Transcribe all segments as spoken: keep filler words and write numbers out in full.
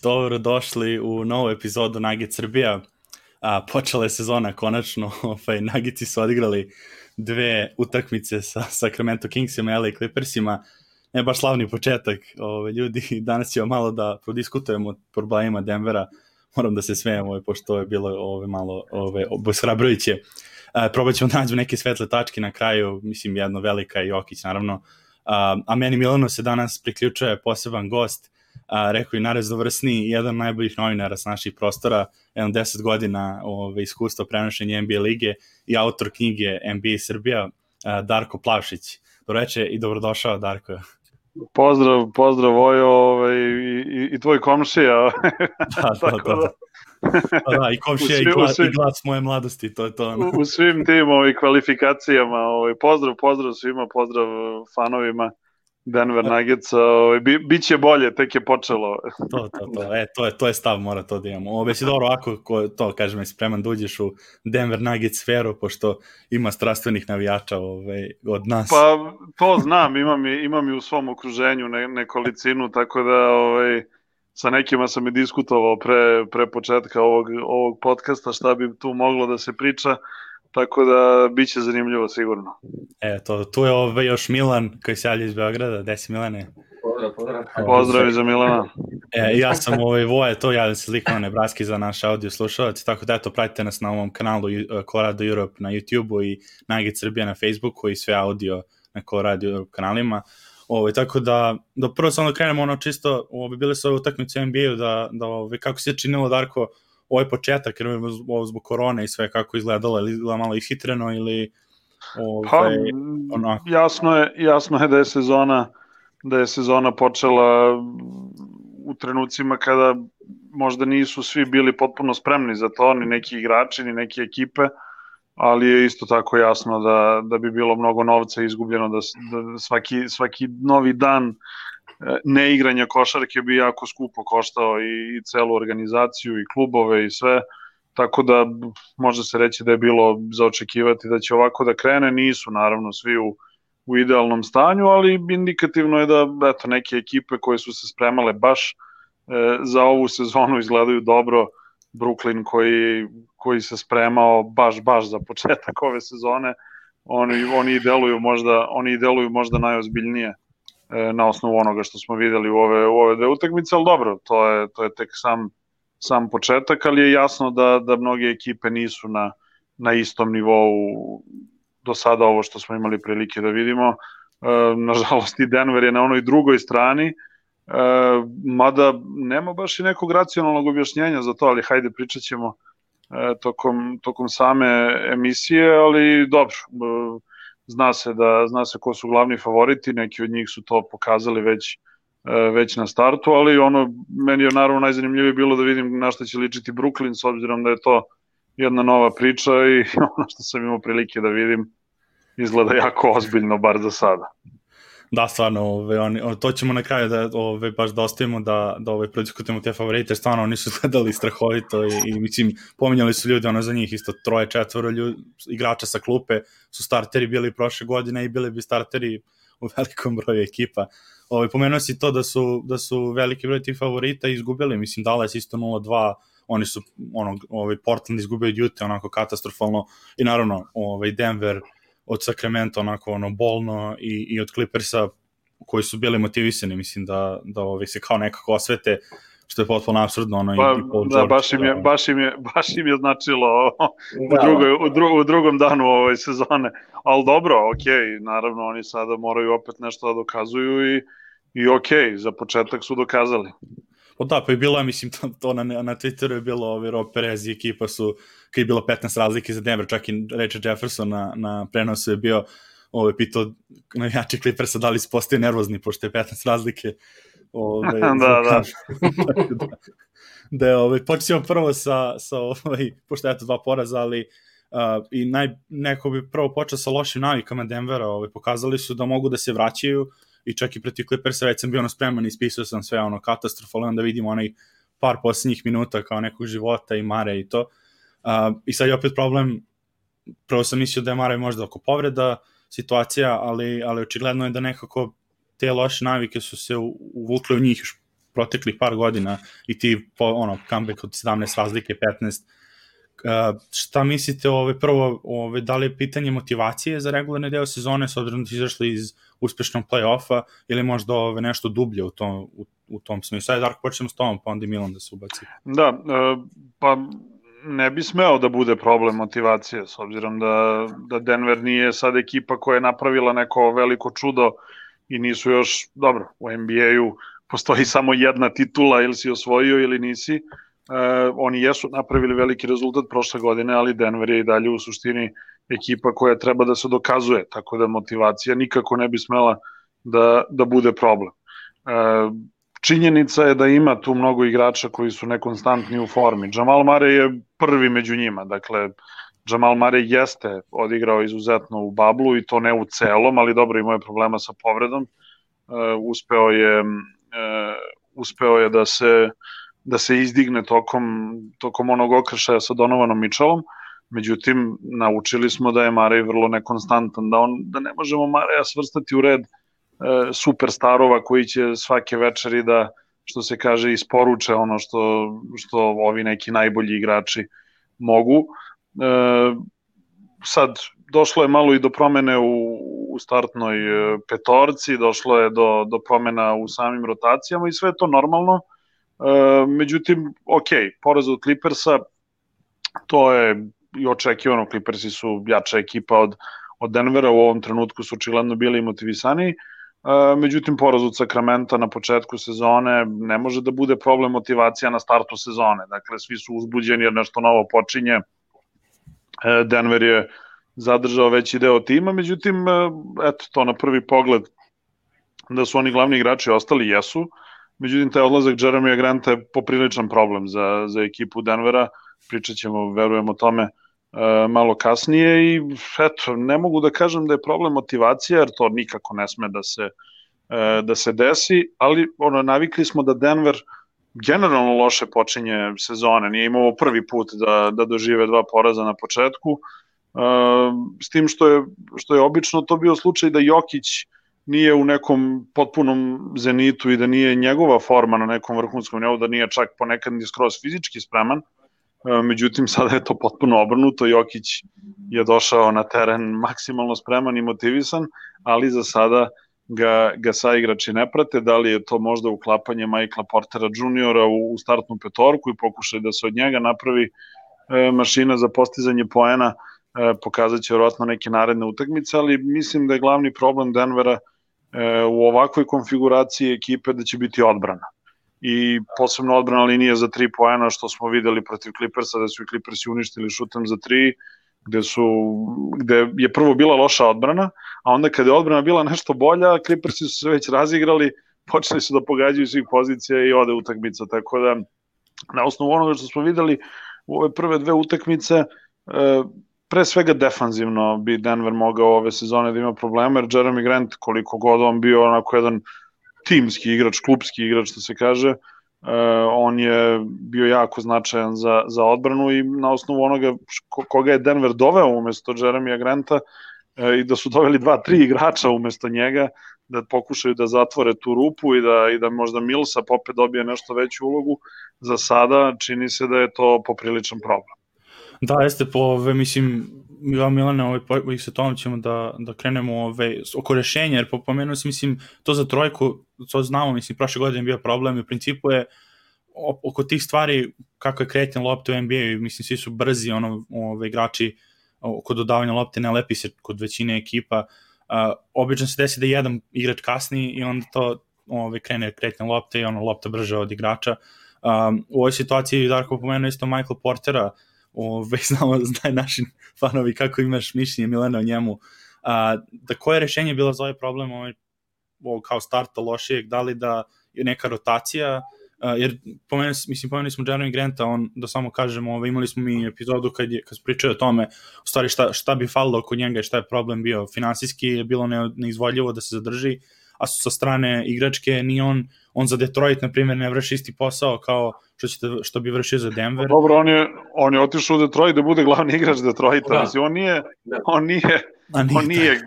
Dobro došli u novu epizodu Nugget Srbija. A, počela je sezona konačno, ovaj, Nuggeti su odigrali dve utakmice sa Sacramento Kingsima i L A Clippersima. Ne baš slavni početak, ovaj, ljudi, danas ćemo malo da prodiskutujemo o problemima Denvera. Moram da se smijem, ovaj, pošto je bilo ovaj, malo ovaj, obeshrabrujuće. Probat ćemo da nađu neke svetle tačke na kraju, mislim jedno velika i Jokić naravno. A, a meni Milano se danas priključuje poseban gost, a, rekao i naraznovrsni, jedan od najboljih novinara s naših prostora, jedan deset godina ove, iskustva prenošenja N B A lige i autor knjige N B A Srbija, a, Darko Plavšić. Dobroveče i dobrodošao, Darko. Pozdrav, pozdrav Vojo ovaj, i, i tvoj komšija. Da, da, da. da. Pa da, i komšija i, glas, svim, i glas moje mladosti, to je to. U, u svim tim ovaj, kvalifikacijama, ovaj, pozdrav, pozdrav svima, pozdrav fanovima Denver Nuggetsa, ovaj, bi, bit će bolje, tek je počelo. To, to, to, e, to je, to je stav, mora to da imamo. Ovo si dobro, ako ko, to, kažem, je spreman da uđeš u Denver Nuggets sferu, pošto ima strastvenih navijača ovaj, od nas. Pa, to znam, imam i, imam i u svom okruženju ne, nekolicinu, tako da ovaj, sa nekima sam i diskutovao pre, pre početka ovog, ovog podcasta šta bi tu moglo da se priča, tako da bit će zanimljivo sigurno. E, to, tu je ovaj još Milan koji se javlja iz Beograda. Gde si, Milane? Pozdrav, pozdrav. Pozdrav i za Milana. E, ja sam ovaj Voje, to javljam se lik na Nebraski za naš audio slušalac, tako da eto, pratite nas na ovom kanalu Colorado Europe na YouTube-u i Nugget Srbija na Facebooku i sve audio na Colorado Europe kanalima. Ovo, tako da, da prvo samo da krenemo ono čisto, ovo, bile su ove utakmice u N B A-u, da, da ovo, kako se činilo, Darko, ovaj početak, jer ovo zbog korone i sve kako izgledalo, ili izgledalo malo ishitreno ili... Ove, pa, onako. Jasno je, jasno je da je sezona da je sezona počela u trenucima kada možda nisu svi bili potpuno spremni za to, ni neki igrači, ni neke ekipe, ali je isto tako jasno da, da bi bilo mnogo novca izgubljeno, da, da svaki, svaki novi dan neigranja košarke bi jako skupo koštao i, i celu organizaciju i klubove i sve, tako da može se reći da je bilo za očekivati da će ovako da krene. Nisu naravno svi u, u idealnom stanju, ali indikativno je da eto, neke ekipe koje su se spremale baš e, za ovu sezonu izgledaju dobro. Brooklyn koji, koji se spremao baš baš za početak ove sezone, oni, oni, i deluju možda, oni i deluju možda najozbiljnije e, na osnovu onoga što smo videli u ove, u ove dve utakmice, ali dobro, to je, to je tek sam sam početak, ali je jasno da, da mnoge ekipe nisu na, na istom nivou do sada ovo što smo imali prilike da vidimo. E, nažalost i Denver je na onoj drugoj strani, e, mada nema baš i nekog racionalnog objašnjenja za to, ali hajde pričat ćemo e, tokom, tokom same emisije, ali dobro, e, zna se, da, zna se ko su glavni favoriti, neki od njih su to pokazali već već na startu, ali ono, meni je naravno najzanimljivije bilo da vidim na što će ličiti Brooklyn, s obzirom da je to jedna nova priča i ono što sam imao prilike da vidim izgleda jako ozbiljno, bar za sada. Da, stvarno, ove, oni, to ćemo na kraju da ove, baš da ostavimo da, da ove, prodiskutujemo te favorite, stvarno oni su gledali strahovito i, i mislim, pominjali su ljudi, ono za njih isto troje, četvoro ljudi, igrača sa klupe su starteri bili prošle godine i bili bi starteri u velikom broju ekipa. Ovaj, pomenuo si to da su, da su veliki broj tih favorita izgubili, mislim Dallas isto nula dva, oni su ono, ovaj, Portland izgubio od Utah onako katastrofalno i naravno ovaj, Denver od Sacramento onako ono bolno i, i od Clippersa koji su bili motivisani, mislim da, da ovaj, se kao nekako osvete, što je potpuno apsurdno. Ono, pa, i Paul da, George, baš im je, baš im je, baš im je značilo u, drugoj, u, dru, u drugom danu ove sezone, ali dobro, ok, naravno oni sada moraju opet nešto da dokazuju i I okej, okay, za početak su dokazali. O da, pa je bilo, mislim, to, to na, na Twitteru je bilo, ovi Rob Perez i ekipa su, kad je bilo petnaest razlike za Denver, čak i Richard Jefferson na, na prenosu je bio, ovaj, pitao navijači Clippersa da li se postaju nervozni, pošto je petnaest razlike. Ovaj, da, da. da. Da je, ovaj, počnemo prvo sa, sa ovaj, pošto je to dva poraza, ali uh, i naj, neko bi prvo počeo sa lošim navikama Denvera, ovaj, pokazali su da mogu da se vraćaju, i čak i protiv Clippersa već sam bio ono spreman i ispisao sam sve ono katastrofalno, onda vidimo onaj par posljednjih minuta kao nekog života i Mare i to. Uh, I sad je opet problem, prvo sam mislio da je Mare možda oko povreda situacija, ali, ali očigledno je da nekako te loše navike su se uvukle u njih još proteklih par godina i ti po, ono, comeback od sedamnaest razlike, petnaest. Uh, šta mislite, ove, prvo, ove, da li je pitanje motivacije za regularni deo sezone, s obzirom da ste izašli iz uspešnog play-offa, ili možda ove, nešto dublje u tom, u, u tom smislu? Sad, Darko, počnemo s tom, pa onda i Milan da se ubaci. Da, uh, pa ne bi smeo da bude problem motivacije, s obzirom da, da Denver nije sad ekipa koja je napravila neko veliko čudo i nisu još, dobro, u N B A-u postoji samo jedna titula, ili si osvojio ili nisi. Uh, oni jesu napravili veliki rezultat prošle godine, ali Denver je i dalje u suštini ekipa koja treba da se dokazuje, tako da motivacija nikako ne bi smela da, da bude problem. Uh, činjenica je da ima tu mnogo igrača koji su nekonstantni u formi. Jamal Murray je prvi među njima, dakle Jamal Murray jeste odigrao izuzetno u bablu i to ne u celom, ali dobro, imao je problema sa povredom. Uh, uspeo je uh, uspeo je da se da se izdigne tokom, tokom onog okršaja sa Donovanom Mitchellom, međutim, naučili smo da je Murray vrlo nekonstantan, da, on, da ne možemo Murraya svrstati u red e, superstarova koji će svake večeri da, što se kaže, isporuče ono što, što ovi neki najbolji igrači mogu. E, sad, došlo je malo i do promene u, u startnoj petorci, došlo je do, do promena u samim rotacijama i sve je to normalno. Uh, međutim, ok, poraz od Clippersa, to je i očekivano, Clippersi su jača ekipa od, od Denvera, u ovom trenutku su očigledno bili motivisaniji, uh, međutim, poraz od Sacramenta na početku sezone ne može da bude problem motivacija na startu sezone, dakle, svi su uzbuđeni jer nešto novo počinje, uh, Denver je zadržao veći deo tima, međutim, uh, eto, to na prvi pogled da su oni glavni igrači ostali, jesu. Međutim, taj odlazak Jeremija Granta je popriličan problem za, za ekipu Denvera, pričat ćemo, verujem o tome, e, malo kasnije i eto, ne mogu da kažem da je problem motivacija, jer to nikako ne sme da se, e, da se desi, ali ono, navikli smo da Denver generalno loše počinje sezone, nije imao prvi put da, da dožive dva poraza na početku, e, s tim što je, što je obično to bio slučaj da Jokić nije u nekom potpunom zenitu i da nije njegova forma na nekom vrhunskom nivou, da nije čak ponekad ni skroz fizički spreman. Međutim, sada je to potpuno obrnuto. Jokić je došao na teren maksimalno spreman i motivisan, ali za sada ga, ga saigrači ne prate. Da li je to možda uklapanje Michaela Portera juniora u, u startnu petorku i pokušaj da se od njega napravi e, mašina za postizanje poena, e, pokazat će vjerojatno neke naredne utakmice, ali mislim da je glavni problem Denvera u ovakvoj konfiguraciji ekipe da će biti odbrana. I posebno odbrana linije za tri poena, što smo videli protiv Clippersa, da su i Clippersi uništili šutem za tri, gde, su, gde je prvo bila loša odbrana, a onda kada je odbrana bila nešto bolja, Clippersi su se već razigrali, počeli su da pogađaju svih pozicija i ode utakmica. Tako da, na osnovu onoga što smo videli u ove prve dve utakmice, pre svega defanzivno bi Denver mogao ove sezone da ima problema, jer Jeremy Grant, koliko god on bio onako jedan timski igrač, klubski igrač, što se kaže, uh, on je bio jako značajan za, za odbranu i na osnovu onoga koga je Denver doveo umesto Jeremija Granta uh, i da su doveli dva, tri igrača umesto njega, da pokušaju da zatvore tu rupu i da, i da možda Millsap opet dobije nešto veću ulogu, za sada čini se da je to popriličan problem. Da, jeste, po ove, mislim, ja Milane, ovaj, po, sa tom ćemo da, da krenemo ove, oko rešenja, jer pomenuo sam, mislim, to za trojku, to znamo, mislim, prošle godine bio problem i u principu je oko tih stvari, kako je kretan lopta u N B A, mislim, svi su brzi, ono, ove, igrači oko dodavanja lopte, ne lepi se kod većine ekipa, uh, obično se desi da jedan igrač kasni i onda to ove, krene kretan lopta i ono, lopta brže od igrača. Um, u ovoj situaciji, Darko pomenuo isto Michael Portera, Ove, znamo, znaju naši fanovi kako imaš mišljenje, Milena, o njemu. A, da koje je rešenje bilo za ovaj problem ovaj, ovo, kao starta lošijeg, da li da je neka rotacija, a, jer pomenuli, mislim, pomenuli smo Jeremy Granta, on, da samo kažemo, ovaj, imali smo mi epizodu kad, je, kad smo pričali o tome, u stvari šta, šta bi falilo oko njega i šta je problem bio. Finansijski je bilo ne, neizvodljivo da se zadrži, a sa strane igračke ni on, on za Detroit, na primjer, ne vrši isti posao kao što, ćete, što bi vršio za Denver. Dobro, on je, on je otišao u Detroit da bude glavni igrač Detroita, da. Mislim, on nije, on nije, on nije,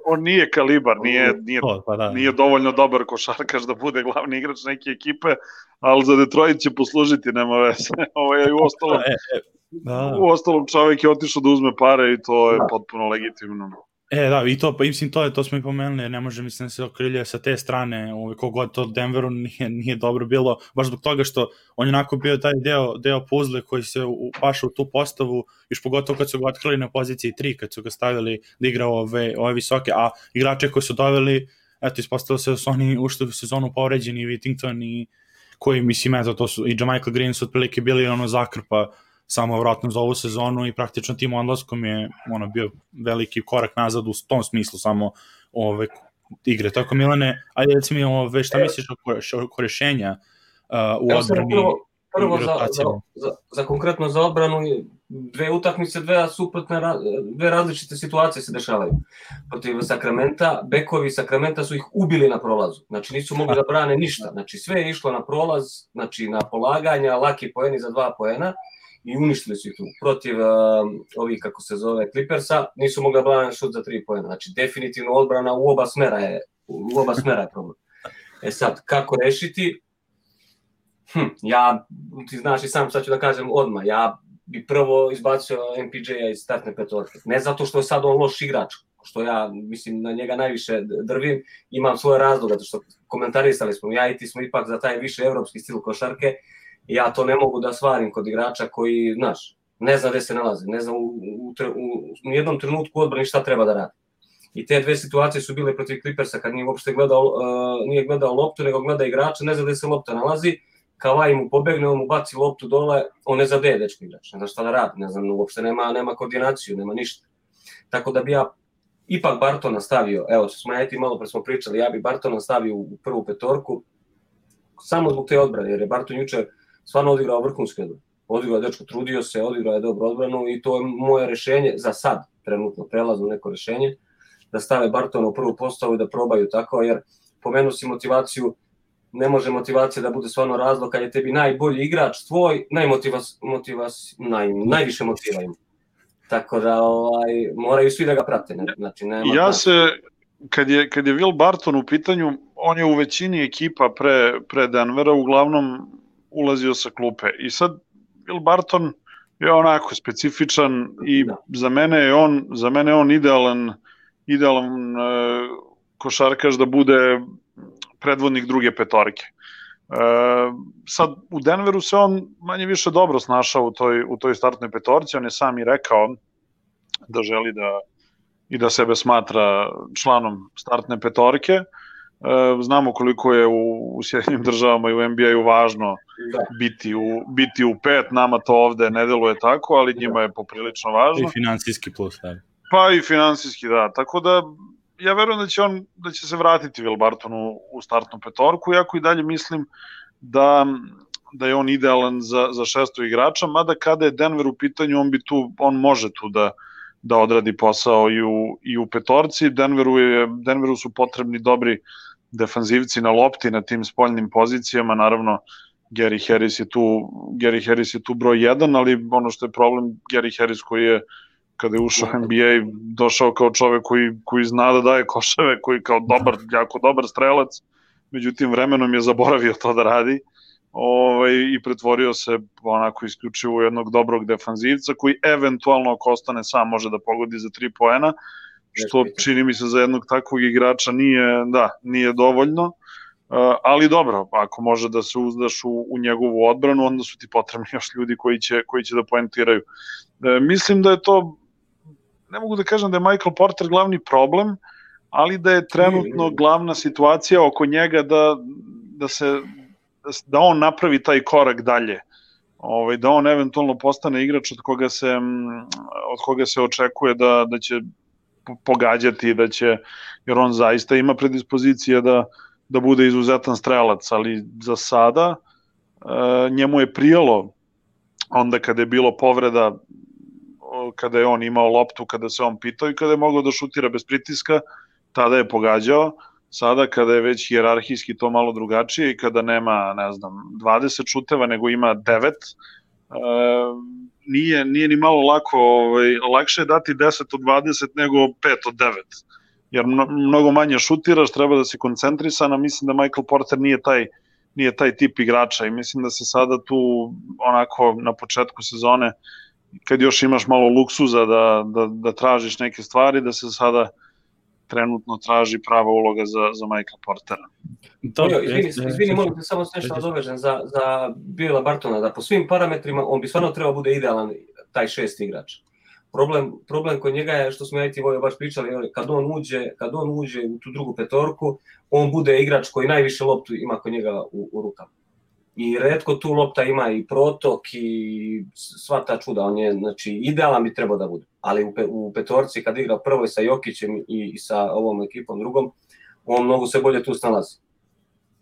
on nije kalibar, nije, nije, to, pa da. nije dovoljno dobar košarkaš da bude glavni igrač neke ekipe, ali za Detroit će poslužiti, nema veze. Ovo je u ostalom, e, e, da. u ostalom čovjek je otišao da uzme pare i to je potpuno legitimno. E, da, i to, pa mislim, to je, to smo i pomenuli, ne može, mislim, se okrilje sa te strane, ovaj, kogod to Denveru nije, nije dobro bilo, baš zbog toga što on je onako bio taj deo, deo puzle koji se upaša u tu postavu, još pogotovo kad su ga otkrili na poziciji tri, kad su ga stavili da igra ove, ove visoke, a igrače koji su doveli, eto, ispostavilo se da su oni ušli u sezonu povređeni, i Whittington, i koji, mislim, eto, to su, i Jamichael Green su otprilike bili ono zakrpa, samo vratno za ovu sezonu i praktično tim odlaskom je ono bio veliki korak nazad u tom smislu samo ove igre. Tako Milane, ajde reci mi ove, šta misliš oko rešenja uh, u odbrani? Prvo, prvo za, za, za, za konkretno za odbranu dve utakmice, dve suprotne, dve različite situacije se dešavaju. Protiv Sakramenta, bekovi Sakramenta su ih ubili na prolazu. Znači nisu mogli da brane ništa. Znači sve je išlo na prolaz, znači na polaganja, laki poeni za dva poena. I uništili su ih tu. Protiv uh, ovih, kako se zove, Clippersa, nisu mogli da brane šut za tri poena. Znači, definitivno odbrana u oba smera je, u oba smera je problem. E sad, kako rešiti? Hm, ja, ti znaš i sam, sad ću da kažem odmah, ja bi prvo izbacio M P J-a iz startne petorke. Ne zato što je sad on loš igrač, što ja, mislim, na njega najviše drvim, imam svoje razloga, zato što komentarisali smo, ja i ti smo ipak za taj više evropski stil košarke, ja to ne mogu da svarim kod igrača koji, znaš, ne zna gde se nalaze, ne zna u, u, u, u jednom trenutku odbrani šta treba da radi. I te dve situacije su bile protiv Clippersa kad nije uopšte gledao, uh, nije gledao loptu, nego gleda igrača, ne zna gde se lopta nalazi, Kawhi mu pobegne, on mu baci loptu dole, on ne zna gde je dečko igrač, ne zna šta da radi, ne znam, uopšte nema, nema koordinaciju, nema ništa. Tako da bi ja ipak Bartona stavio, evo, što smo ja ti malo pre smo pričali, ja bi Bartona stavio u prvu petorku, samo zbog te odbrane, jer je Barton juče stvarno odigrao vrhunski odbranu. Odigrao je dečko, trudio se, odigrao je dobro odbranu i to je moje rešenje za sad, trenutno prelazno neko rešenje, da stave Bartona u prvu postavu i da probaju tako, jer pomenuo si motivaciju, ne može motivacija da bude stvarno razlog kad je tebi najbolji igrač tvoj, najmotivas, motivas, naj, najviše motivaju. Tako da ovaj, moraju svi da ga prate. Znači, nema ja se, kad je, kad je Will Barton u pitanju, on je u većini ekipa pre, pre Denvera uglavnom ulazio sa klupe. I sad Will Barton je onako specifičan i da. za mene je on, za mene je on idealan, idealan e, košarkaš da bude predvodnik druge petorke. E, sad, u Denveru se on manje više dobro snašao u toj, u toj startnoj petorci, on je sam i rekao da želi da i da sebe smatra članom startne petorke. E, znamo koliko je u, u Sjedinim državama i u N B A-u važno da. biti, u, biti u pet, nama to ovde ne deluje tako, ali njima je poprilično važno. I finansijski plus, da. Pa i finansijski, da. Tako da ja verujem da će on da će se vratiti Will Barton u, u startnu petorku, iako i dalje mislim da, da je on idealan za, za šesto igrača, mada kada je Denver u pitanju, on bi tu, on može tu da, da odradi posao i u, i u petorci. Denveru, je, Denveru su potrebni dobri defanzivci na lopti na tim spoljnim pozicijama, naravno Gary Harris je tu, Gary Harris je tu broj jedan, ali ono što je problem, Gary Harris koji je kada je ušao u N B A, došao kao čovek koji, koji zna da daje koševe, koji kao dobar, jako dobar strelac, međutim vremenom je zaboravio to da radi ovaj, i pretvorio se onako isključivo u jednog dobrog defanzivca koji eventualno ako ostane sam može da pogodi za tri poena, što čini mi se za jednog takvog igrača nije, da, nije dovoljno, uh, ali dobro, ako može da se uzdaš u, u njegovu odbranu, onda su ti potrebni još ljudi koji će, koji će da poentiraju. Uh, mislim da je to, ne mogu da kažem da je Michael Porter glavni problem, ali da je trenutno glavna situacija oko njega da, da se da on napravi taj korak dalje. Ovaj, da on eventualno postane igrač od koga se, od koga se očekuje da, da će pogađati, da će, jer on zaista ima predispozicije da, da bude izuzetan strelac, ali za sada e, njemu je prijelo onda kada je bilo povreda, kada je on imao loptu, kada se on pitao i kada je mogao da šutira bez pritiska, tada je pogađao. Sada kada je već hijerarhijski to malo drugačije i kada nema, ne znam, dvadeset šuteva, nego ima devet, e, nije, nije ni malo lako, ovaj, lakše je dati deset od dvadeset nego pet od devet. jer mnogo manje šutiraš, treba da si koncentrisan, a mislim da Michael Porter nije taj, nije taj tip igrača i mislim da se sada tu onako na početku sezone, kad još imaš malo luksuza da, da, da tražiš neke stvari, da se sada trenutno traži prava uloga za, za Michael Portera. Dobro, izvini, izvini molim te samo nešto nadovežem za, za Billa Bartona, da po svim parametrima on bi stvarno trebao bude idealan taj šest igrač. Problem, problem kod njega je, što smo ja i ti Vojo baš pričali, kad on uđe, kad on uđe u tu drugu petorku, on bude igrač koji najviše loptu ima kod njega u, u rukama. I retko tu lopta ima i protok i sva ta čuda, on je, znači, idealan bi trebao da bude. Ali u, pe, u petorci kad igra prvo sa Jokićem i, i sa ovom ekipom drugom, on mnogo se bolje tu snalazi.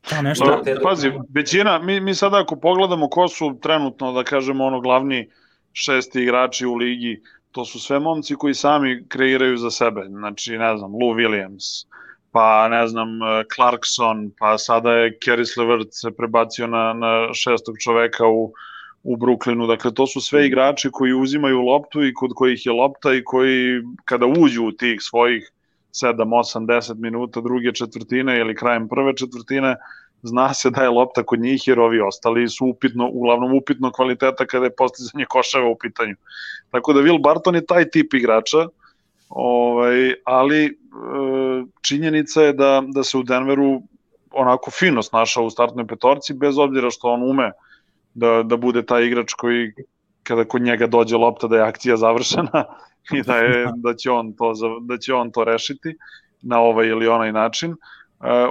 Da, nešto. No, pazi, većina, mi, mi sada ako pogledamo ko su trenutno, da kažemo, ono glavni šesti igrači u ligi, to su sve momci koji sami kreiraju za sebe. Znači, ne znam, Lou Williams, pa ne znam, Clarkson, pa sada je Caris LeVert se prebacio na, na šestog čoveka u, u Brooklynu. Dakle, to su sve igrači koji uzimaju loptu i kod kojih je lopta i koji kada uđu u tih svojih sedam, osam, deset minuta druge četvrtine ili krajem prve četvrtine, zna se da je lopta kod njih jer ovi ostali su upitno, uglavnom upitno kvaliteta kada je postizanje koševa u pitanju. Tako da Will Barton je taj tip igrača, ovaj, ali e, činjenica je da, da se u Denveru onako fino snašao u startnoj petorci, bez obzira što on ume da, da bude taj igrač koji kada kod njega dođe lopta da je akcija završena i da, je, da, će on to, da će on to rešiti na ovaj ili onaj način.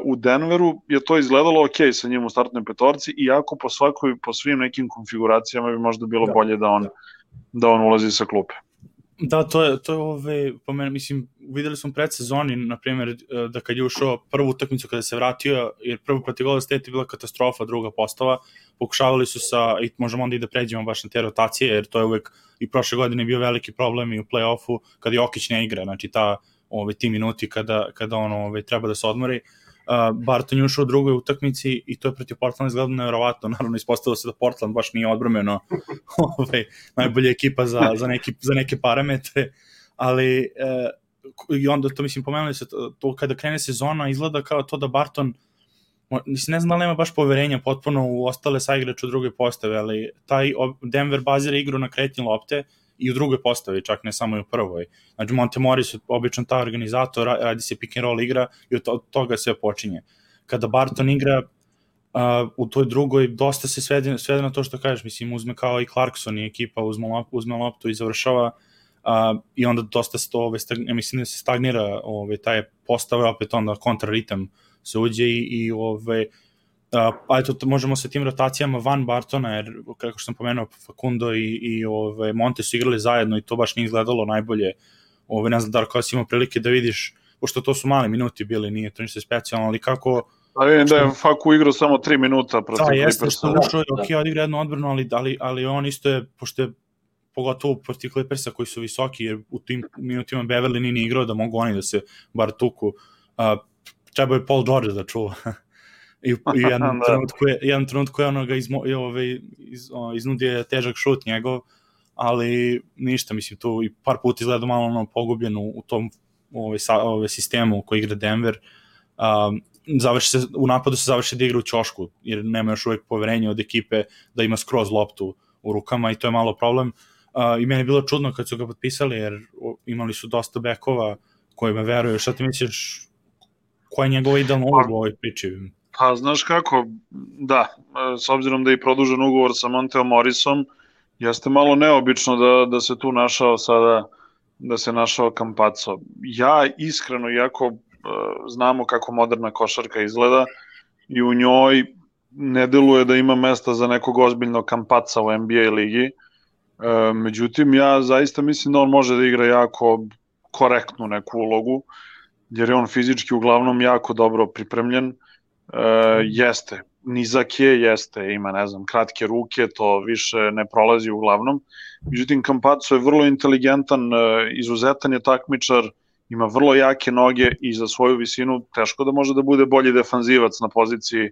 U Denveru je to izgledalo ok sa njim u startnoj petorci, iako po svakoj, po svim nekim konfiguracijama bi možda bilo da, bolje da on, da on ulazi sa klupe. Da, to je, to je ove, po mene, mislim, videli smo predsezoni, na primjer, da kad je ušao prvu utakmicu kada se vratio, jer prvo protiv Golden State je bila katastrofa, druga postava, pokušavali su sa, i možemo onda i da pređemo baš na te rotacije, jer to je uvek i prošle godine bio veliki problem i u play-offu, kada Jokić ne igra, znači ta, ove, ti minuti kada, kada on ove, treba da se odmori. Uh, Barton je ušao u drugoj utakmici i to je protiv Portlanda izgledalo nevjerovatno. Naravno, ispostavilo se da Portland baš nije odbromeno ovaj, najbolja ekipa za, za, neki, za neke parametre, ali uh, i onda to, mislim, pomenuli se, to, to kada krene sezona izgleda kao to da Barton, mislim, ne znam da li nema baš poverenja potpuno u ostale saigrače u drugoj postave, ali taj Denver bazira igru na kretnje lopte i u drugoj postavi, čak ne samo i u prvoj. Znači, Montemoris je obično ta organizator, radi se pick and roll igra i od toga sve počinje. Kada Barton igra uh, u toj drugoj, dosta se svede, svede na to što kažeš, mislim, uzme kao i Clarkson i ekipa, uzme, lop, uzme loptu i završava uh, i onda dosta se to, ove, stagn, mislim da se stagnira ove, taj postave, opet onda kontraritam se uđe i, i ove, Uh, pa eto, možemo sa tim rotacijama van Bartona, jer kako što sam pomenuo, Facundo i, i ove, Monte su igrali zajedno i to baš nije izgledalo najbolje. Ove, ne znam, Darko, si imao prilike da vidiš, pošto to su mali minuti bili, nije to ništa specijalno, ali kako... A vidim da je Facu igrao samo tri minuta protiv Clippersa. Da, jeste što ušao, da, ok, odigra jednu odbranu, ali, ali, ali on isto je, pošto je pogotovo protiv Clippersa koji su visoki, jer u tim minutima Beverly nije igrao da mogu oni da se bar tuku. Uh, treba je Paul George da čuva. I, i jedan, trenutku je, jedan trenutku je ono ga izmo, ove, iz, o, iznudio težak šut njegov, ali ništa, mislim, tu i par puta izgleda malo ono pogubljen u, u tom ove, sa, ove, sistemu u koji igra Denver. Um, završi se, u napadu se završi da igra u ćošku, jer nema još uvek poverenja od ekipe da ima skroz loptu u rukama i to je malo problem. Uh, I meni je bilo čudno kad su ga potpisali, jer imali su dosta bekova kojima veruju. Šta ti misliš, koja je njegova idealna uloga u ovoj priči? Pa, znaš kako, da, s obzirom da je produžen ugovor sa Monteom Morrisom, jeste malo neobično da, da se tu našao sada, da se našao Campazzo. Ja iskreno, iako uh, znamo kako moderna košarka izgleda, i u njoj ne deluje da ima mesta za nekog ozbiljnog Campazza u N B A ligi, uh, međutim, ja zaista mislim da on može da igra jako korektnu neku ulogu, jer je on fizički uglavnom jako dobro pripremljen. Uh, jeste, nizak je, jeste, ima, ne znam, kratke ruke, to više ne prolazi uglavnom. Međutim, Campazzo je vrlo inteligentan, uh, izuzetan je takmičar, ima vrlo jake noge i za svoju visinu teško da može da bude bolji defanzivac na poziciji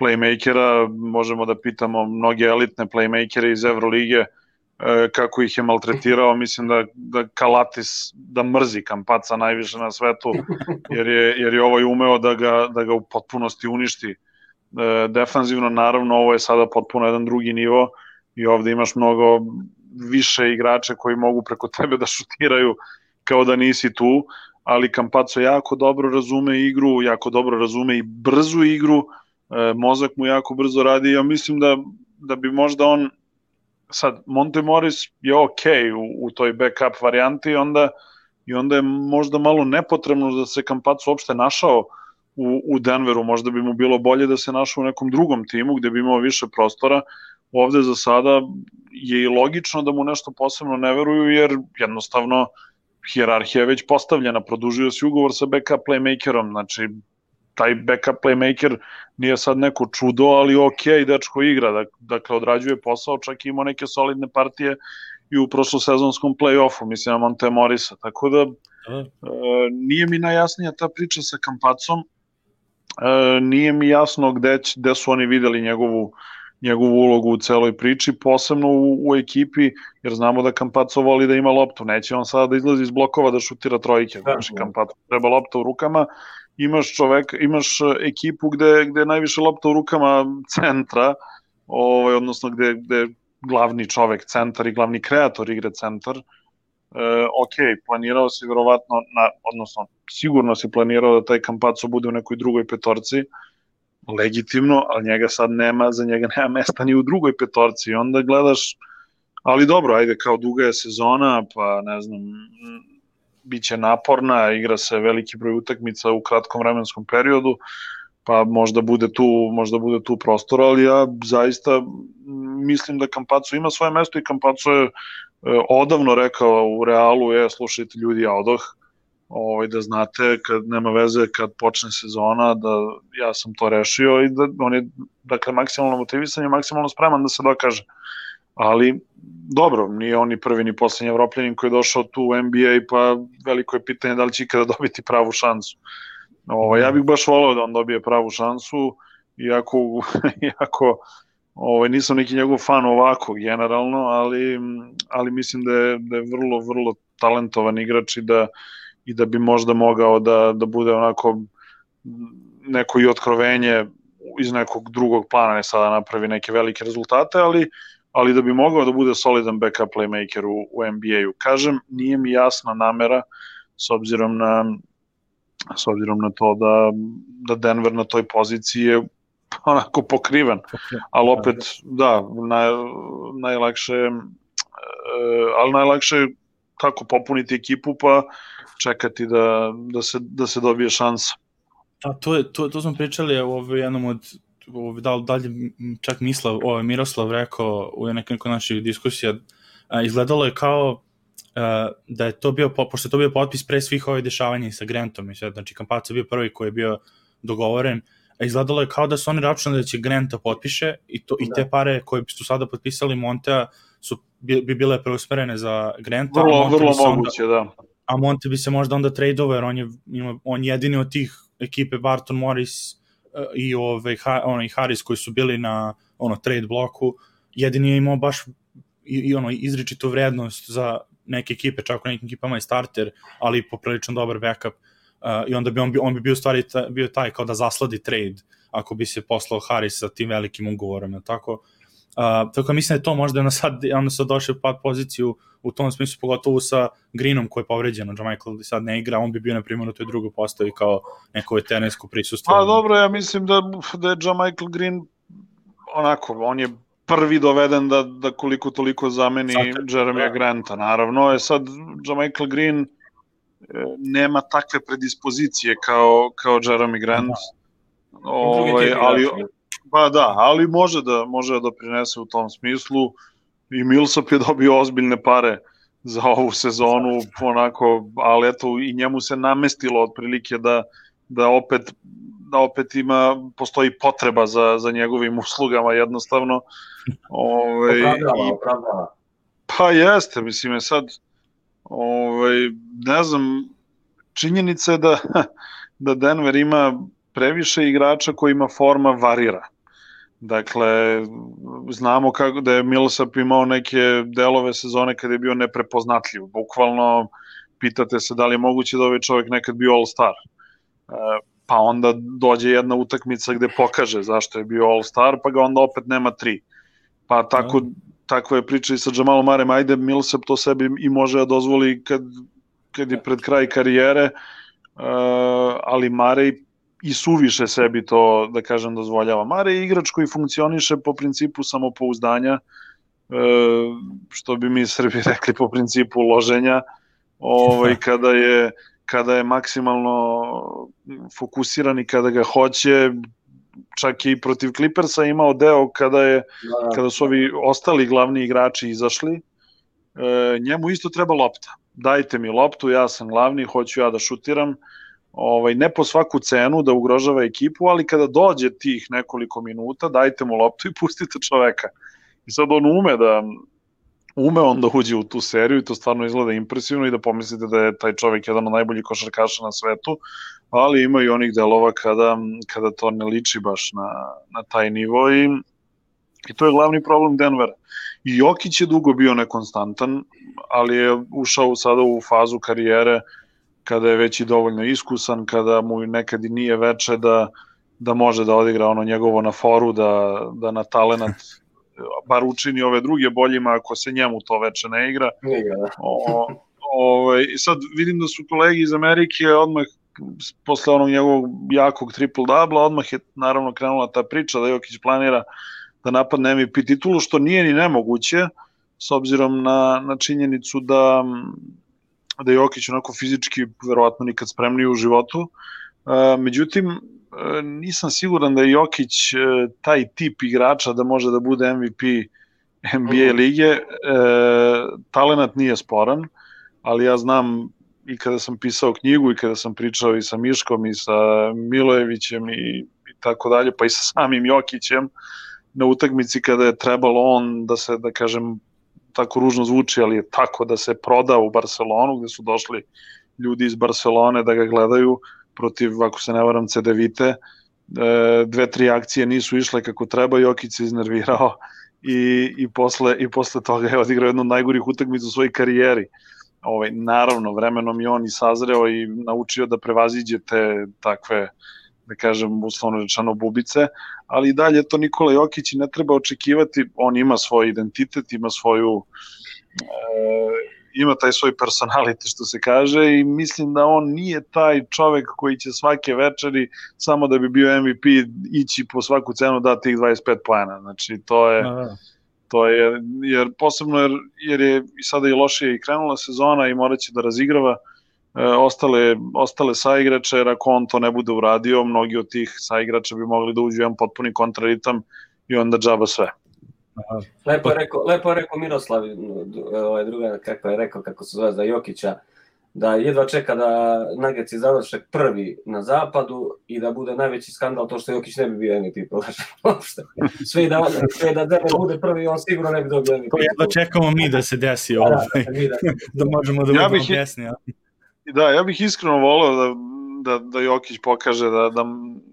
playmakera. Možemo da pitamo mnoge elitne playmakere iz Evrolige kako ih je maltretirao. Mislim da, da Kalatis da mrzi Campazza najviše na svetu, jer je, jer je ovaj umeo da ga, da ga u potpunosti uništi defanzivno. Naravno, ovo je sada potpuno jedan drugi nivo i ovde imaš mnogo više igrača koji mogu preko tebe da šutiraju kao da nisi tu, ali Campazzo jako dobro razume igru, jako dobro razume i brzu igru, mozak mu jako brzo radi. Ja mislim da, da bi možda on, sad Monte Morris je ok u, u toj backup varijanti, onda, i onda je možda malo nepotrebno da se Campazzo uopšte našao u, u Denveru. Možda bi mu bilo bolje da se našao u nekom drugom timu gde bi imao više prostora. Ovde za sada je i logično da mu nešto posebno ne veruju, jer jednostavno hijerarhija je već postavljena, produžio si ugovor sa backup playmakerom, znači taj backup playmaker nije sad neko čudo, ali ok, dečko igra, dakle odrađuje posao, čak i imao neke solidne partije i u prošlosezonskom play-offu, mislim na Monte Morrisa, tako da e, nije mi najjasnija ta priča sa Campazzom, e, nije mi jasno gde, gde su oni videli njegovu njegovu ulogu u celoj priči, posebno u, u ekipi, jer znamo da Campazzo voli da ima loptu, neće on sada da izlazi iz blokova da šutira trojke, znači Campazzo treba lopta u rukama, imaš čovek, imaš ekipu gde, gde je najviše lopta u rukama centra, ovaj, odnosno gde, gde glavni čovek centar i glavni kreator igre centar. E, ok, planirao si verovatno, na, odnosno sigurno si planirao da taj Campazzo bude u nekoj drugoj petorci, legitimno, ali njega sad nema, za njega nema mesta ni u drugoj petorci i onda gledaš, ali dobro, ajde, kao duga je sezona, pa ne znam, bit će naporna, igra se veliki broj utakmica u kratkom vremenskom periodu, pa možda bude tu, možda bude tu prostor, ali ja zaista mislim da Campazzo ima svoje mesto i Campazzo je odavno rekao u Realu, je, slušajte ljudi, ja odoh, ovaj, da znate, kad nema veze, kad počne sezona, da ja sam to rešio i da on je, dakle, maksimalno motivisan i maksimalno spreman da se dokaže. Ali, dobro, nije on ni prvi ni poslednji Evropljanin koji je došao tu u N B A, pa veliko je pitanje da li će ikada dobiti pravu šansu. Ovaj, ja bih baš volao da on dobije pravu šansu, iako, iako ovaj, nisam neki njegov fan ovako generalno, ali, ali mislim da je, da je vrlo, vrlo talentovan igrač i da i da bi možda mogao da, da bude onako neko i otkrovenje iz nekog drugog plana, ne sada napravi neke velike rezultate, ali, ali da bi mogao da bude solidan backup playmaker u, u N B A-u. Kažem, nije mi jasna namera s obzirom na, s obzirom na to da, da Denver na toj poziciji je onako pokriven, ali opet, da, naj, najlakše, ali najlakše je tako popuniti ekipu, pa čekati da, da, se, da se dobije šansa. Da, to, je, to, to smo pričali u jednom od, u, da, dalje čak Mislav, ovaj, Miroslav rekao u nekoliko naših diskusija, a, izgledalo je kao a, da je to bio, pošto je to bio potpis pre svih ovih dešavanja sa Grantom, i sad, znači Campazzo je bio prvi koji je bio dogovoren, a izgledalo je kao da su oni računali da će Granta potpiše i, to, i te pare koje su sada potpisali Montea su, bi, bi bile preusmerene za Granta. Vrlo, vrlo moguće, onda, da. A Monte bi se možda onda tradeo, jer on je, on jedini od tih ekipe Barton Morris uh, i, ove, ha, ono, i Harris koji su bili na ono, trade bloku, jedini je imao baš i, i ono, izričitu vrednost za neke ekipe, čak u nekim ekipama je starter, ali poprilično dobar backup. Uh, I onda bi on, on bi bio stvari ta, bio taj kao da zasladi trade ako bi se poslao Harris sa tim velikim ugovorom, tako? Uh, tako mislim da je to možda onda sad, onda sad došao pad poziciju u tom smislu, pogotovo sa Greenom koji je povređen, Michael sad ne igra, on bi bio na primjer u toj drugoj postavi kao neko veteransko prisustvo. Pa dobro, ja mislim da, da je Michael Green onako, on je prvi doveden da, da koliko toliko zameni Jeremya Granta, naravno, je sad Michael Green nema takve predispozicije kao, kao Jeremy Grant, ovaj, ali pa da, ali može da može da doprinese u tom smislu i Millsap je dobio ozbiljne pare za ovu sezonu, onako, ali eto i njemu se namestilo otprilike da, da opet da opet ima, postoji potreba za, za njegovim uslugama jednostavno. Ovaj, opravdava, opravdava. Pa jeste, mislim je sad, ovaj, ne znam, činjenica je da, da Denver ima previše igrača kojima forma varira. Dakle, znamo kako da je Millsap imao neke delove sezone kada je bio neprepoznatljiv. Bukvalno pitate se da li je moguće da ovaj čovjek nekad bio All-Star. Pa onda dođe jedna utakmica gde pokaže zašto je bio All-Star, pa ga onda opet nema tri. Pa tako, no. tako je priča i sa Jamalom Marem. Ajde, Millsap to sebi i može da dozvoli kad, kad je pred kraj karijere, ali Marej i suviše sebi to, da kažem, dozvoljava. Mare je igrač koji funkcioniše po principu samopouzdanja, što bi mi Srbi rekli po principu loženja, ovaj, kada je, kada je maksimalno fokusiran i kada ga hoće, čak i protiv Clippersa imao deo kada, je, kada su ovi ostali glavni igrači izašli, njemu isto treba lopta. Dajte mi loptu, ja sam glavni, hoću ja da šutiram, Ovaj, ne po svaku cenu da ugrožava ekipu, ali kada dođe tih nekoliko minuta, dajte mu loptu i pustite čoveka. I sad on ume da ume on da uđe u tu seriju i to stvarno izgleda impresivno i da pomislite da je taj čovek jedan od najboljih košarkaša na svetu, ali ima i onih delova kada, kada to ne liči baš na, na taj nivo i, i to je glavni problem Denvera. I Jokić je dugo bio nekonstantan, ali je ušao sada u fazu karijere kada je već i dovoljno iskusan, kada mu nekad i nije veče da, da može da odigra ono njegovo na foru, da, da na talenat bar učini ove druge boljima ako se njemu to veče ne igra. Ne igra, da. O, o, I sad vidim da su kolegi iz Amerike odmah posle onog njegovog jakog triple-dubla, odmah je naravno krenula ta priča da Jokić planira da napadne M V P titulu, što nije ni nemoguće, s obzirom na, na činjenicu da da je Jokić onako fizički verovatno nikad spremniji u životu. Međutim, nisam siguran da je Jokić taj tip igrača da može da bude M V P N B A lige. Talenat nije sporan, ali ja znam i kada sam pisao knjigu i kada sam pričao i sa Miškom i sa Milojevićem i, i tako dalje, pa i sa samim Jokićem na utakmici kada je trebalo on da se, da kažem, tako ružno zvuči, ali je tako da se proda u Barcelonu, gde su došli ljudi iz Barcelone da ga gledaju protiv, ako se ne varam, C D Vite. Dve, tri akcije nisu išle kako treba, Jokić se iznervirao i, i, posle, i posle toga je odigrao jednu od najgorih utakmica u svojoj karijeri. Ovaj, naravno, vremenom je on i sazreo i naučio da prevaziđe te takve, da kažem, uslovno rečeno bubice, ali i dalje to Nikola Jokić i ne treba očekivati, on ima svoj identitet, ima svoju e, ima taj svoj personality, što se kaže, i mislim da on nije taj čovek koji će svake večeri samo da bi bio M V P ići po svaku cenu da tih dvadeset pet poena, znači to je Aha. to je, jer posebno jer, jer je i sada i lošije i krenula sezona i morat će da razigrava ostale, ostale saigrače, jer ako on to ne bude uradio, mnogi od tih saigrača bi mogli da uđu jedan potpuni kontraritam i onda džaba sve. Aha. Lepo je rekao, lepo je rekao Miroslav, ovaj druga, kako je rekao, kako se zove za Jokića, da jedva čeka da Nuggets završe prvi na zapadu i da bude najveći skandal to što Jokić ne bi bio M V P. Sve da, sve da Denver bude prvi, on sigurno ne bi dobio M V P. To jedva čekamo mi da se desi ovo, da, da, da možemo da ja budemo pjesni. Ja. Da, ja bih iskreno voleo da, da, da Jokić pokaže, da, da,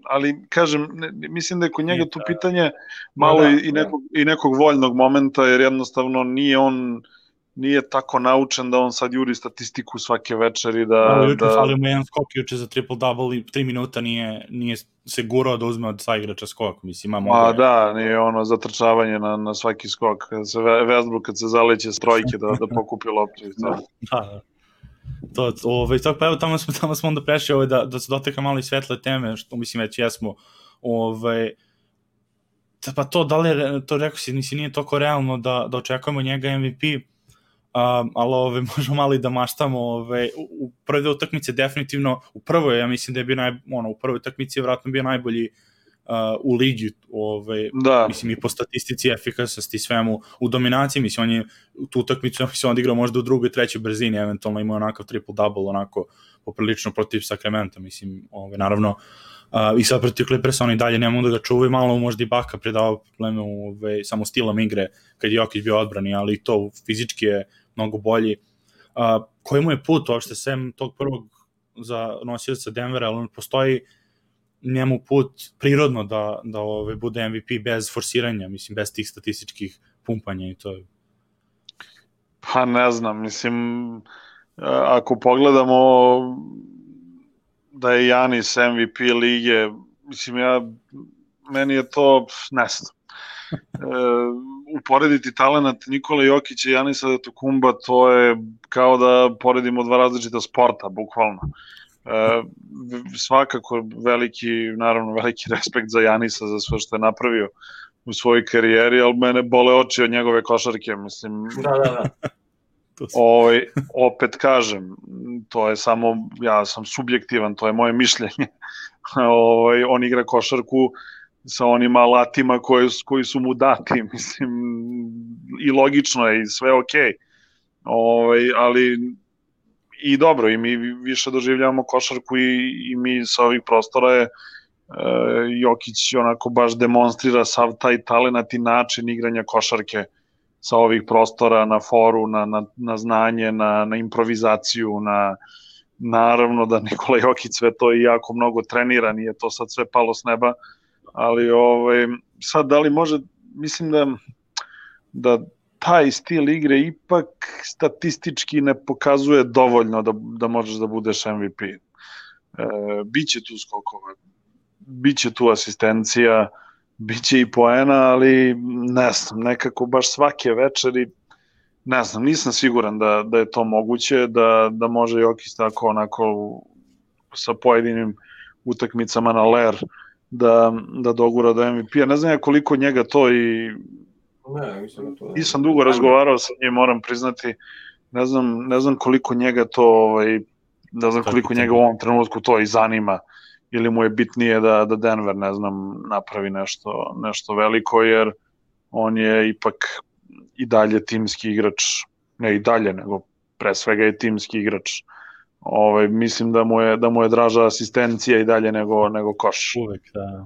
ali kažem, ne, mislim da je kod njega tu pitanje malo da, i, i, nekog, i nekog voljnog momenta, jer jednostavno nije on nije tako naučen da on sad juri statistiku svake večeri. Da, da, juče da... falio mu jedan skok juče za triple-double i tri minuta nije, nije se gurao da uzme od saigrača skok. Mislim, ima Ma da, nije ono zatrčavanje na, na svaki skok. Kad se Westbrook, kad se zaleće s trojke da, da pokupi loptu. Da, da. To, ovaj, tako, pa evo, tamo smo, tamo smo onda prešli ovaj, da, da se dotekam malo i svetle teme, što mislim već jesmo. Ovaj, pa to, da li je, to rekao si, nisi, nije toliko realno da, da očekujemo njega M V P, um, ali ovaj, možemo malo i da maštamo. Ovaj, u, u prve utakmice definitivno, u prvoj, ja mislim da je bio naj, ono, u prvoj utakmici je vratno bio najbolji uh, u ligi, ovaj, da. Mislim i po statistici, efikasnosti, svemu, u dominaciji, mislim, on je tu utakmicu on odigrao možda u drugoj, trećoj brzini, eventualno imao onakav triple-double, onako poprilično protiv Sacramento, mislim, ovaj, naravno, uh, i sad protiv Clippersa oni dalje ne mogu da ga čuvaju, malo možda i Baka predavao probleme ovaj, samo stilom igre, kad je Jokić bio odbrani, ali to fizički je mnogo bolji. Uh, koji mu je put uopšte, sem tog prvog za nosioca Denvera, ali on postoji njemu put prirodno da, da ove, bude M V P bez forsiranja, mislim, bez tih statističkih pumpanja i to je. Pa ne znam, mislim, ako pogledamo da je Janis M V P lige, mislim, ja, meni je to, ne znam, e, uporediti talenat Nikola Jokića i Janisa Antetokounmpa, to je kao da poredimo dva različita sporta, bukvalno. E, svakako veliki, naravno veliki respekt za Janisa, za sve što je napravio u svojoj karijeri, ali mene bole oči od njegove košarke, mislim. Da, da, da. Ovaj, opet kažem, to je samo, ja sam subjektivan, to je moje mišljenje. Ovaj, on igra košarku sa onim alatima koji, koji su mu dati, mislim, i logično je i sve okej. Ovaj, ali i dobro, i mi više doživljavamo košarku i, i mi sa ovih prostora je e, Jokić onako baš demonstrira sav taj talenat i način igranja košarke sa ovih prostora, na foru, na, na, na znanje, na, na improvizaciju, na, naravno da Nikola Jokić sve to i jako mnogo trenira, nije to sad sve palo s neba, ali ovaj, sad da li može, mislim da, da taj stil igre ipak statistički ne pokazuje dovoljno da, da možeš da budeš M V P. E, biće tu skokova, biće tu asistencija, biće i poena, ali ne znam, nekako baš svake večeri, ne znam, nisam siguran da, da je to moguće, da, da može Jokić tako onako sa pojedinim utakmicama na ler da, da dogura do M V P-a. Ne znam ja koliko njega to i ne, mislim to. Nisam dugo razgovarao sa njim, moram priznati, ne znam, ne znam koliko njega to, ovaj, ne znam koliko njega u ovom trenutku to i zanima, ili mu je bitnije da, da Denver, ne znam, napravi nešto, nešto veliko, jer on je ipak i dalje timski igrač, ne i dalje, nego pre svega je timski igrač. Ovaj, mislim da mu je, da mu je draža asistencija i dalje nego, nego koš. Uvek, da.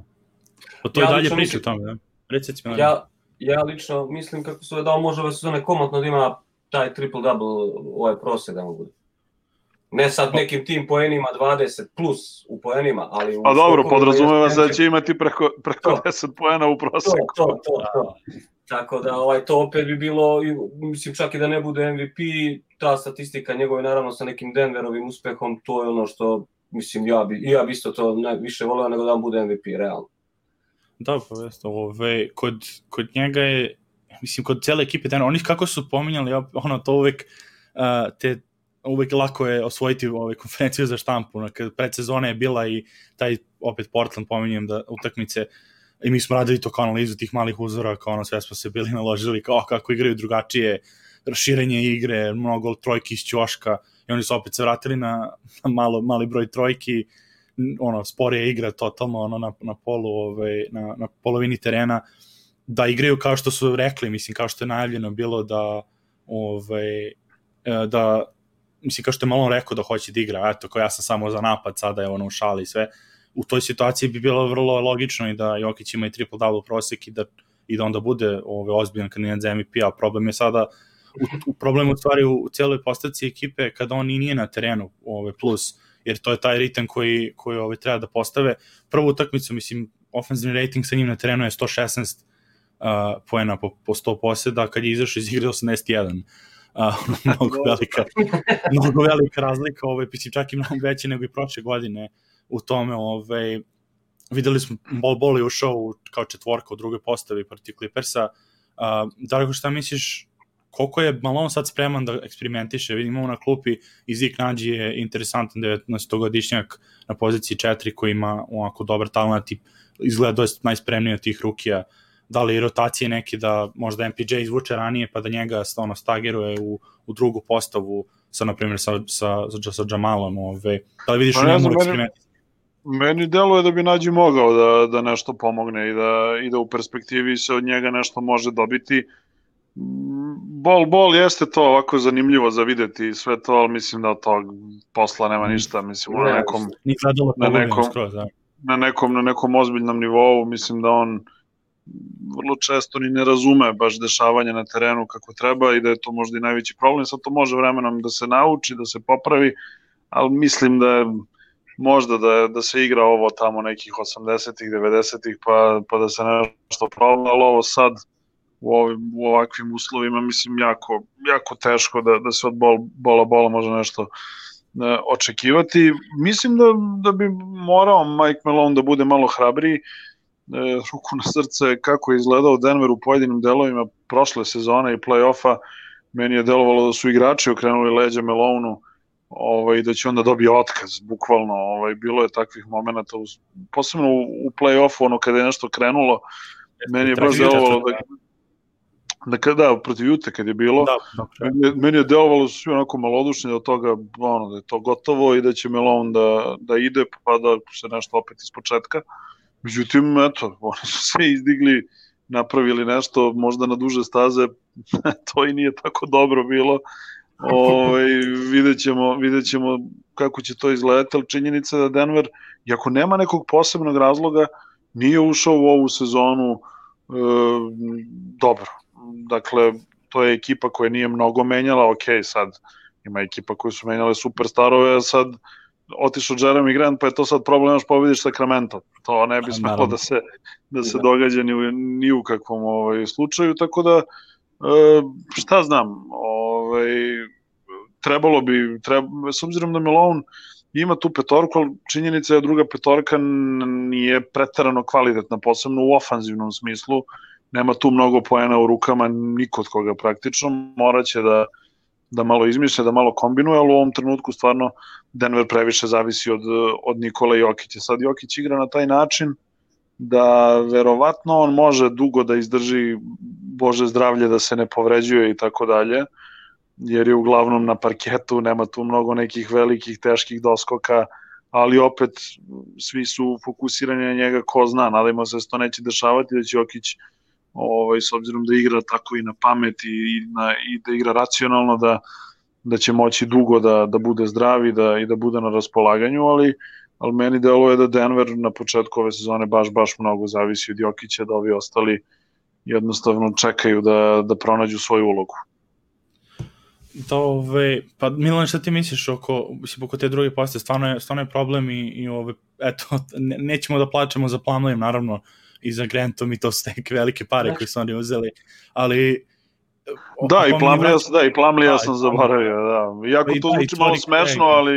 O to ja, i dalje priča o tome, da? Recite mi. Ja, ja lično mislim kako se da on može ove sezone komotno da ima taj triple-double ovaj prosjek da mu bude. Ne sad nekim tim poenima dvadeset plus u poenima, ali... Pa dobro, podrazumeva se da će imati preko, preko deset poena u prosjeku. To, to, to, to. Tako da ovaj, to opet bi bilo, mislim čak i da ne bude M V P, ta statistika njegove naravno sa nekim Denverovim uspehom, to je ono što, mislim, ja bi, ja bi isto to više voleo nego da on bude M V P, realno. Da, pa jeste, ove, kod, kod njega je, mislim, kod cijele ekipe, dan, oni kako su pominjali, ono, to uvek, uh, te, uvek lako je osvojiti ove konferenciju za štampu, kad predsezona je bila i taj, opet Portland pominjem da utakmice, i mi smo radili to kao analizu tih malih uzora, kao ono sve smo se bili naložili, kao kako igraju drugačije, raširenje igre, mnogo trojki iz ćoška, i oni su opet se vratili na, na malo, mali broj trojki, ono, sporija igra totalno ono, na, na, polu, ovaj, na, na polovini terena, da igraju kao što su rekli, mislim, kao što je najavljeno bilo da, ovaj, da, mislim, kao što je Malone rekao da hoće da igra, eto, kao ja sam samo za napad, sada je ono u šali i sve, u toj situaciji bi bilo vrlo logično i da Jokić ima i triple-double prosek i da, i da onda bude ovaj, ozbiljan kandidat za M V P, a problem je sada, u, u problemu u stvari u, u cijeloj postavci ekipe kada on i nije na terenu ovaj, plus, jer to je taj ritam koji, koji ovaj, treba da postave. Prvu utakmicu, mislim, ofenzivni rating sa njim na terenu je sto šesnaest uh, poena po, po sto poseda, kad je izašao iz igre osamdeset jedan. Uh, mnogo, velika, mnogo velika razlika, ovaj, mislim, čak i mnogo veće nego i prošle godine u tome. Ovaj, videli smo, Bol Bol je ušao u, kao četvorka u drugoj postavi protiv Clippersa. Uh, Darko, šta misliš, koliko je Malone sad spreman da eksperimentiše? Vidimo na klupi i Zik Nađi je interesantan devetnaestogodišnjak na poziciji četiri koji ima ovako dobar talent i izgleda dosta najspremniji od tih rukija. Da li rotacije neki da možda M P J izvuče ranije pa da njega ono, stagiruje u, u drugu postavu sa, na primjer, sa, sa, sa, sa Jamalom. Ove. Da li vidiš pa u njemu eksperimenti? Meni deluje da bi Nađi mogao da, da nešto pomogne i da, i da u perspektivi se od njega nešto može dobiti. Bol, bol jeste to ovako zanimljivo za videti sve to, ali mislim da od tog posla nema ništa, mislim na nekom na nekom, na nekom na nekom ozbiljnom nivou, mislim da on vrlo često ni ne razume baš dešavanje na terenu kako treba i da je to možda i najveći problem. Sad to može vremenom da se nauči, da se popravi, ali mislim da možda da, da se igra ovo tamo nekih osamdesetih, devedesetih, pa, pa da se nešto proba, ali ovo sad u, ovim, u ovakvim uslovima, mislim, jako, jako teško da, da se od bol, bola bola može nešto ne, očekivati. Mislim da, da bi morao Mike Malone da bude malo hrabriji, e, ruku na srce, kako je izgledao Denver u pojedinim delovima prošle sezone i play-offa, meni je delovalo da su igrači okrenuli leđa Maloneu, ovaj, da će onda dobije otkaz, bukvalno, ovaj, bilo je takvih momenata, posebno u, u play-offu, ono kada je nešto krenulo, meni je baš delovalo da, da kada, protiv Jute kad je bilo, da, meni, meni je delovalo da su svi onako malodušni od toga, ono, da je to gotovo i da će Malone da, da ide, pa da se nešto opet iz početka. Međutim, eto, oni su se izdigli, napravili nešto, možda na duže staze, to i nije tako dobro bilo. Ove, vidjet ćemo, vidjet ćemo kako će to izgledati, ali činjenica da Denver, iako nema nekog posebnog razloga, nije ušao u ovu sezonu e, dobro. Dakle, to je ekipa koja nije mnogo menjala, ok, sad ima ekipa koji su menjale superstarove, a sad otišao Jeremy Grant, pa je to sad problem, još pobediš Sacramento. To ne bi smelo da se, da se događa ni u, ni u kakvom ovaj, slučaju, tako da e, šta znam, ovaj, trebalo bi, treba, s obzirom da Malone ima tu petorku, ali činjenica je da druga petorka nije preterano kvalitetna, posebno u ofanzivnom smislu, nema tu mnogo poena u rukama, niko od koga praktično, moraće da, da malo izmišlja, da malo kombinuje, ali u ovom trenutku stvarno Denver previše zavisi od, od Nikola Jokića. Sad Jokić igra na taj način da verovatno on može dugo da izdrži, Bože zdravlje, da se ne povređuje i tako dalje, jer je uglavnom na parketu, nema tu mnogo nekih velikih, teških doskoka, ali opet svi su fokusirani na njega, ko zna, nadajmo se da se to neće dešavati, da će Jokić, ovaj, s obzirom da igra tako i na pamet i, i, na, i da igra racionalno, da, da će moći dugo da, da bude zdrav i da, i da bude na raspolaganju, ali, ali meni deluje da Denver na početku ove sezone baš, baš mnogo zavisi od Jokića, da ovi ostali jednostavno čekaju da, da pronađu svoju ulogu. Da, ove, pa Milan, šta ti misliš oko, oko te druge postaje? Stvarno je, stvarno je problem i, i ove, eto, ne, nećemo da plačemo za Plumleem, naravno, i za Grantom, i to su neke velike pare koje su oni uzeli, ali... Da, i Plumleea da, i Plumleea sam zaboravio, da. Iako to zvuči malo smešno, ali,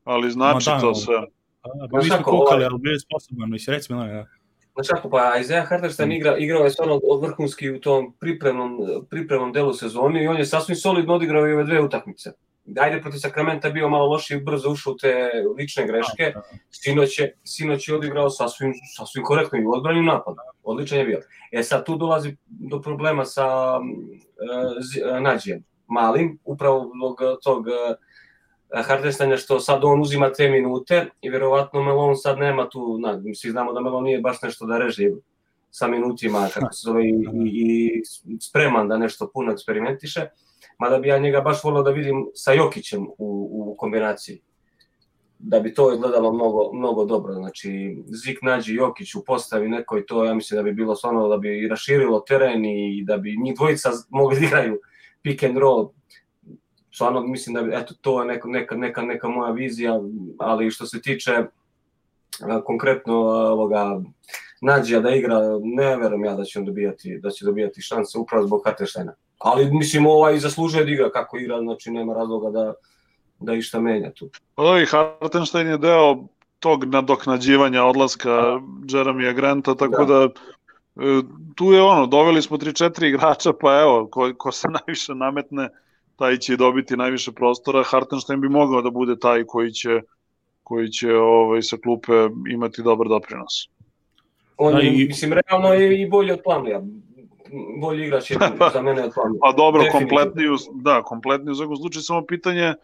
ali znači da, to sve. Da, pa mi smo kukali, ali bio je sposoban, misli, reci Milan, da. Znači ako, pa Isaiah Hartenstein igra, igrao je stvarno vrhunski u tom pripremnom, pripremnom delu sezoni i on je sasvim solidno odigrao i ove dve utakmice. Ajde, protiv Sacramenta bio malo loši, brzo ušao u te lične greške, sinoć je, sinoć je odigrao sasvim, sasvim korektno i u odbranim napadu, odličan je bio. E sad tu dolazi do problema sa uh, Nađijem, malim, upravo zbog tog uh, Hartensteina što sad on uzima te minute i verovatno Malone sad nema tu, na, svi znamo da Malone nije baš nešto da reže sa minutima, kako se zove, i, i, i spreman da nešto puno eksperimentiše, mada bi ja njega baš volio da vidim sa Jokićem u, u kombinaciji, da bi to izgledalo mnogo, mnogo dobro, znači Zik nađi Jokić u postavi nekoj, to ja mislim da bi bilo stvarno da bi raširilo teren i da bi njih dvojica mogli da igraju pick and roll. Stvarno mislim da bi, eto, to je neka, neka, neka, neka moja vizija, ali što se tiče a, konkretno ovoga Nađija da igra, ne verujem ja da će on dobijati, da će dobijati šanse upravo zbog Hartensteina. Ali mislim ovaj zaslužuje da igra kako igra, znači nema razloga da, da išta menja tu. I Hartenstein je deo tog nadoknađivanja odlaska Jeremya Granta, tako da, da tu je ono, doveli smo tri četiri igrača, pa evo, ko, ko se najviše nametne, taj će dobiti najviše prostora. Hartenstein bi mogao da bude taj koji će, koji će ovaj, sa klupe imati dobar doprinos. On je, i, mislim, realno je i bolji od Plumleea. Bolji igrač je za mene od Plumleea. Pa dobro, kompletni, da, kompletni u svakom slučaju, samo pitanje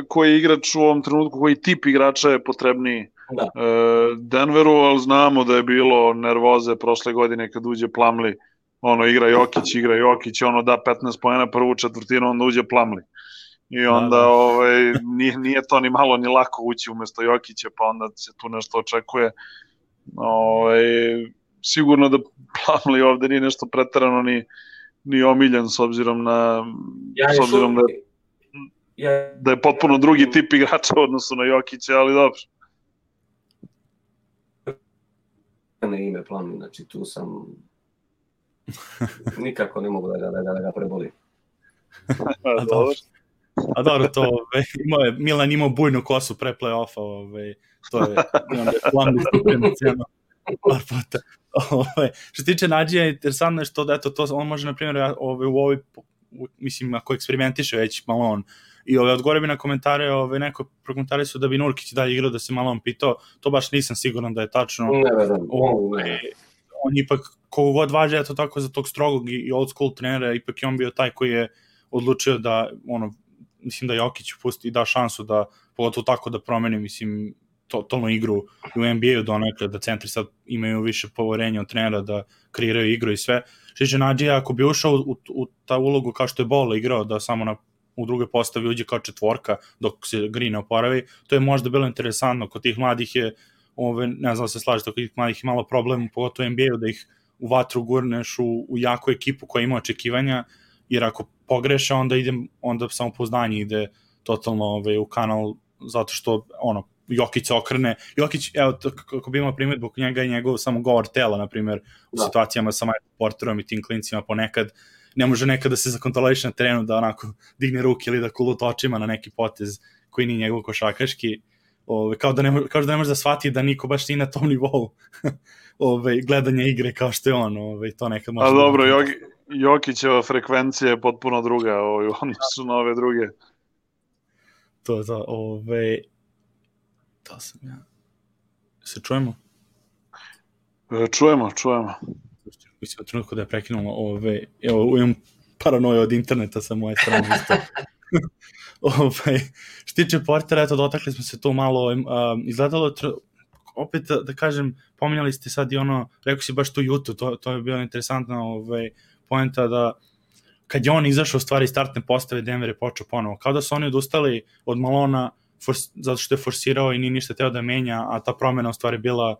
koji je igrač u ovom trenutku, koji tip igrača je potrebniji da. Denveru, ali znamo da je bilo nervoze prošle godine kad uđe Plumlee, ono igra Jokić, igra Jokić, ono da petnaest poena prvu četvrtinu, onda uđe Plumlee. I onda da, da. Ovaj, nije, nije to ni malo ni lako ući umesto Jokića, pa onda se tu nešto očekuje. Ovaj, sigurno da Plumlee ovde nije nešto preterano ni, ni omiljen s obzirom na ja s obzirom da, ja, da je potpuno drugi tip igrača u odnosu na Jokića, ali dobro. ne ime Plumlee, znači tu sam nikako ne mogu da ga, da ga, da ga prebolim. A dobro, a dobro to, ove, imao je, Milan imao bujnu kosu pre play-offa, ove, to je, onda je Plumlee stupio cijeno par puta. Ove, što se tiče Nadžija, interesantno je što da, eto, to, on može, na primjer, ove, u ovoj, mislim, ako eksperimentiše već malo on, i ove, odgovore bi na komentare, ove, neko prokomentari su da bi Nurkić dalje igrao, da se malo on pitao, to baš nisam siguran da je tačno. Ne, vedem, ove, ne. On ipak, kogo god važe, eto tako, za tog strogog i old school trenera, ipak je on bio taj koji je odlučio da, ono, mislim da Jokić pusti i da šansu da, pogotovo tako da promeni, mislim, totalnu igru u N B A-u donekle, da centri sad imaju više poverenja od trenera da kreiraju igru i sve. Šiće Nadžija, ako bi ušao u, u ta ulogu kao što je Ball igrao, da samo na, u drugoj postavi uđe kao četvorka dok se Green ne oporavi, to je možda bilo interesantno. Kod tih mladih je, ove, ne znam da se slažete, kod tih mladih je malo problem, pogotovo u N B A-u, da ih u vatru gurneš u, u jaku ekipu koja ima očekivanja, jer ako pogreše, onda ide, onda samopouzdanje ide totalno ove, u kanal, zato što, ono, Jokić se okrene. Jokić, evo, kako bi imao primjedbu kod njega i njegov samo govor tela, na primjer, u da. situacijama sa Michael Porterom i tim klincima ponekad, ne može nekad da se zakontroliše na terenu, da onako digne ruke ili da kulut očima na neki potez koji nije njegov košakaški, ove, kao, da ne, kao da ne može da shvati da niko baš nije na tom nivou ove, gledanja igre kao što je on. Ove, to nekad može. A dobro, da Joki, Jokićeva frekvencija je potpuno druga, ove, oni su na ove druge. To, to, ove... Da sam ja. Se čujemo? Čujemo, čujemo. Mislim, u trenutku da je prekinulo, ove, evo, imam paranoju od interneta sa moje strane isto. ove, što tiče Portera, eto, dotakli smo se to malo, um, izgledalo, opet da, da kažem, pominjali ste sad i ono, rekao si baš tu Jutu, to, to je bilo interesantna ove, poenta da kad je on izašao u stvari startne postave, Denver je počeo ponovo, kao da su oni odustali od Malona, Fors, zato što je forsirao i nije ništa teo da menja, a ta promjena u stvari bila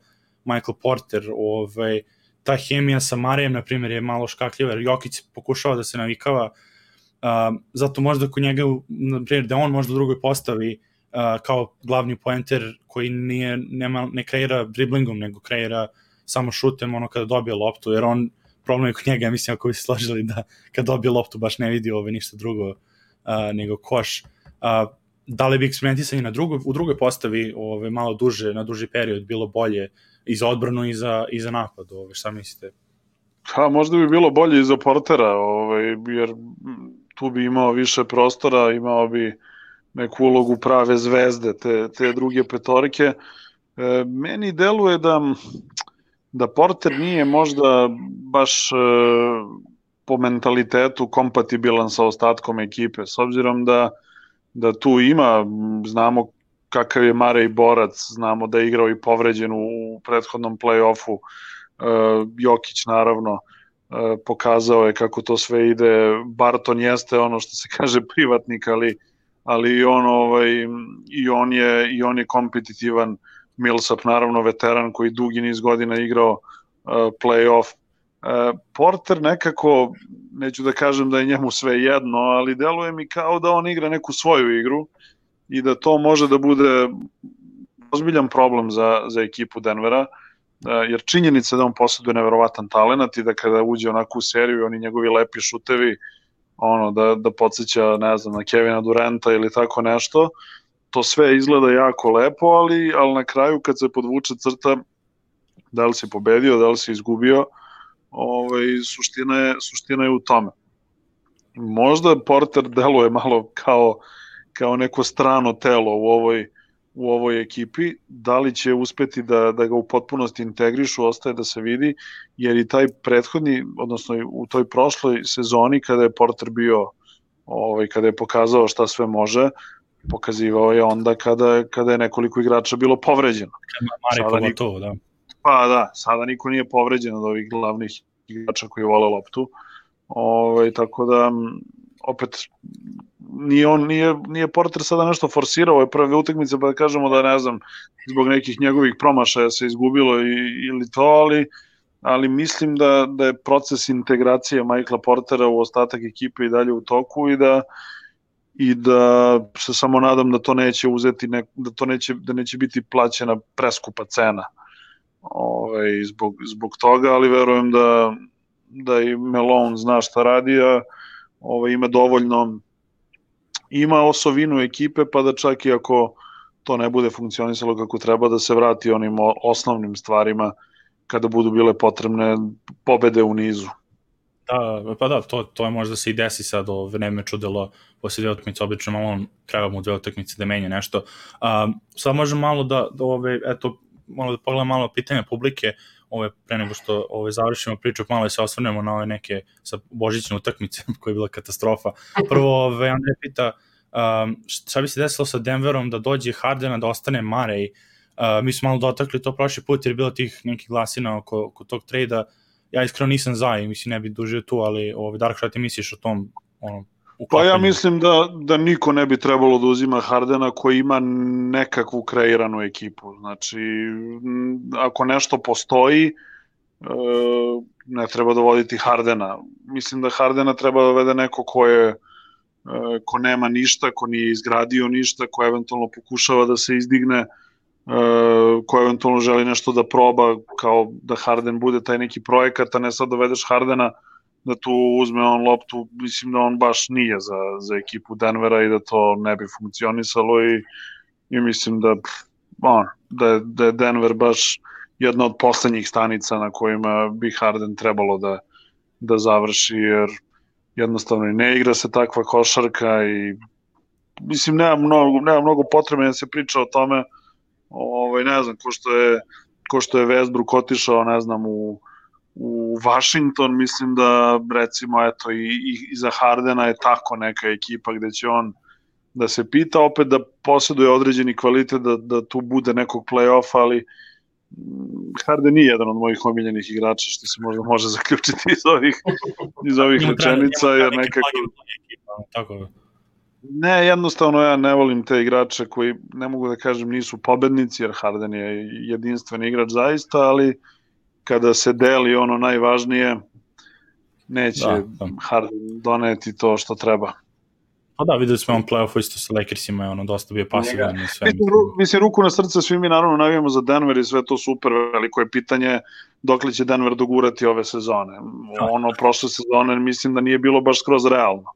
Michael Porter. Ovaj, ta hemija sa Marijem, na primjer, je malo škakljiva, jer Jokić pokušava da se navikava, uh, zato možda kod njega, na primjer, da on možda u drugoj postavi uh, kao glavni poenter koji nije, nema, ne kreira driblingom, nego kreira samo šutem ono kada dobije loptu, jer on, problem je kod njega, mislim, ako bi se složili da kad dobije loptu baš ne vidi ove ništa drugo uh, nego koš. Uh, da li bi eksperimentisanje na drugoj, u drugoj postavi ove, malo duže, na duži period bilo bolje i za odbranu i za, i za napad, ove, šta mislite? Ha, možda bi bilo bolje i za Portera, ove, jer tu bi imao više prostora, imao bi neku ulogu prave zvezde, te, te druge petorke. E, meni deluje da, da Porter nije možda baš e, po mentalitetu kompatibilan sa ostatkom ekipe, s obzirom da da tu ima, znamo kakav je Marej borac, znamo da je igrao i povređen u prethodnom play-offu, uh, Jokić naravno uh, pokazao je kako to sve ide, Barton jeste ono što se kaže privatnik, ali, ali on, ovaj, i, on je, i on je kompetitivan, Millsap naravno veteran koji dugi niz godina igrao uh, play-off. Uh, Porter nekako, neću da kažem da je njemu sve jedno, ali deluje mi kao da on igra neku svoju igru i da to može da bude ozbiljan problem za, za ekipu Denvera, uh, jer činjenica da on posjeduje neverovatan talent i da kada uđe onako u seriju, oni njegovi lepi šutevi, ono, da, da podsjeća, ne znam, na Kevina Duranta ili tako nešto, to sve izgleda jako lepo, ali, ali na kraju kad se podvuče crta, da li si pobedio, da li si izgubio, ovaj, suština, je, suština je u tome. Možda Porter deluje malo kao, kao neko strano telo u ovoj, u ovoj ekipi, da li će uspeti da, da ga u potpunosti integrišu, ostaje da se vidi, jer i taj prethodni, odnosno u toj prošloj sezoni kada je Porter bio, ovaj, kada je pokazao šta sve može, pokazivao je onda kada, kada je nekoliko igrača bilo povređeno. Mare pogotovo, da. Pa da, sada niko nije povređen od ovih glavnih igrača koji vole loptu. Ove, tako da, opet, nije, on, nije, nije Porter sada nešto forsirao ove prve utakmice, pa da kažemo da, ne znam, zbog nekih njegovih promašaja se izgubilo i, ili to, ali, ali mislim da, da je proces integracije Michaela Portera u ostatak ekipe i dalje u toku i da i da se samo nadam da to neće uzeti, ne, da to neće, da neće biti plaćena preskupa cena. ovaj, zbog, zbog toga, ali verujem da, da i Malone zna šta radi, a ovaj, ima dovoljno, ima osovinu ekipe, pa da čak i ako to ne bude funkcionisalo kako treba, da se vrati onim osnovnim stvarima kada budu bile potrebne pobede u nizu. Da, pa da, to, to je možda se i desi sad o vreme čudelo posle dve utakmice, obično malo on treba mu dve utakmice da menja nešto. Um, sad možemo malo da, da ove, eto, malo da pogledam malo pitanja publike, ove, pre nego što ove, završimo priču, malo da se osvrnemo na ove neke sa božićne utakmice koja je bila katastrofa. Prvo, ove, Andrej pita, um, šta bi se desilo sa Denverom da dođe Hardena, da ostane Murray? Uh, mi smo malo dotakli to prošli put jer je bilo tih nekih glasina oko, oko tog trejda. Ja iskreno nisam za i mislim ne bi dužio tu, ali ovaj, Dark, šta ti misliš o tom ono, uklapanju? Pa ja mislim da, da niko ne bi trebalo da uzima Hardena koji ima nekakvu kreiranu ekipu. Znači, ako nešto postoji, ne treba dovoditi Hardena. Mislim da Hardena treba da dovede neko ko je ko nema ništa, ko nije izgradio ništa, ko eventualno pokušava da se izdigne, ko eventualno želi nešto da proba, kao da Harden bude taj neki projekat, a ne sad dovedeš Hardena da tu uzme on loptu, mislim da on baš nije za, za ekipu Denvera i da to ne bi funkcionisalo i, i mislim da, on, da, da je Denver baš jedna od poslednjih stanica na kojima bi Harden trebalo da, da završi, jer jednostavno i ne igra se takva košarka i mislim nema mnogo, nema mnogo potrebe da se priča o tome. Ovaj, ne znam, ko što je, ko što je Westbrook otišao, ne znam, u, u Washington, mislim da recimo eto i, i za Hardena je tako neka ekipa gde će on da se pita, opet da posjeduje određeni kvalitet da, da tu bude nekog play-offa, ali Harden nije jedan od mojih omiljenih igrača, što se možda može zaključiti iz ovih, iz ovih rečenica, jer nekako... Tako. Ne, jednostavno ja ne volim te igrače koji, ne mogu da kažem, nisu pobednici, jer Harden je jedinstven igrač zaista, ali kada se deli ono najvažnije, neće da, da. Harden doneti to što treba. Pa da, videli smo on play-offu isto sa Lakersima, je ono dosta bio pasivan i sve. Mislim, mislim, ruku na srce, svi mi naravno navijamo za Denver i sve to super, veliko je pitanje dokle će Denver dogurati ove sezone. Ono, prošle sezone mislim da nije bilo baš skroz realno.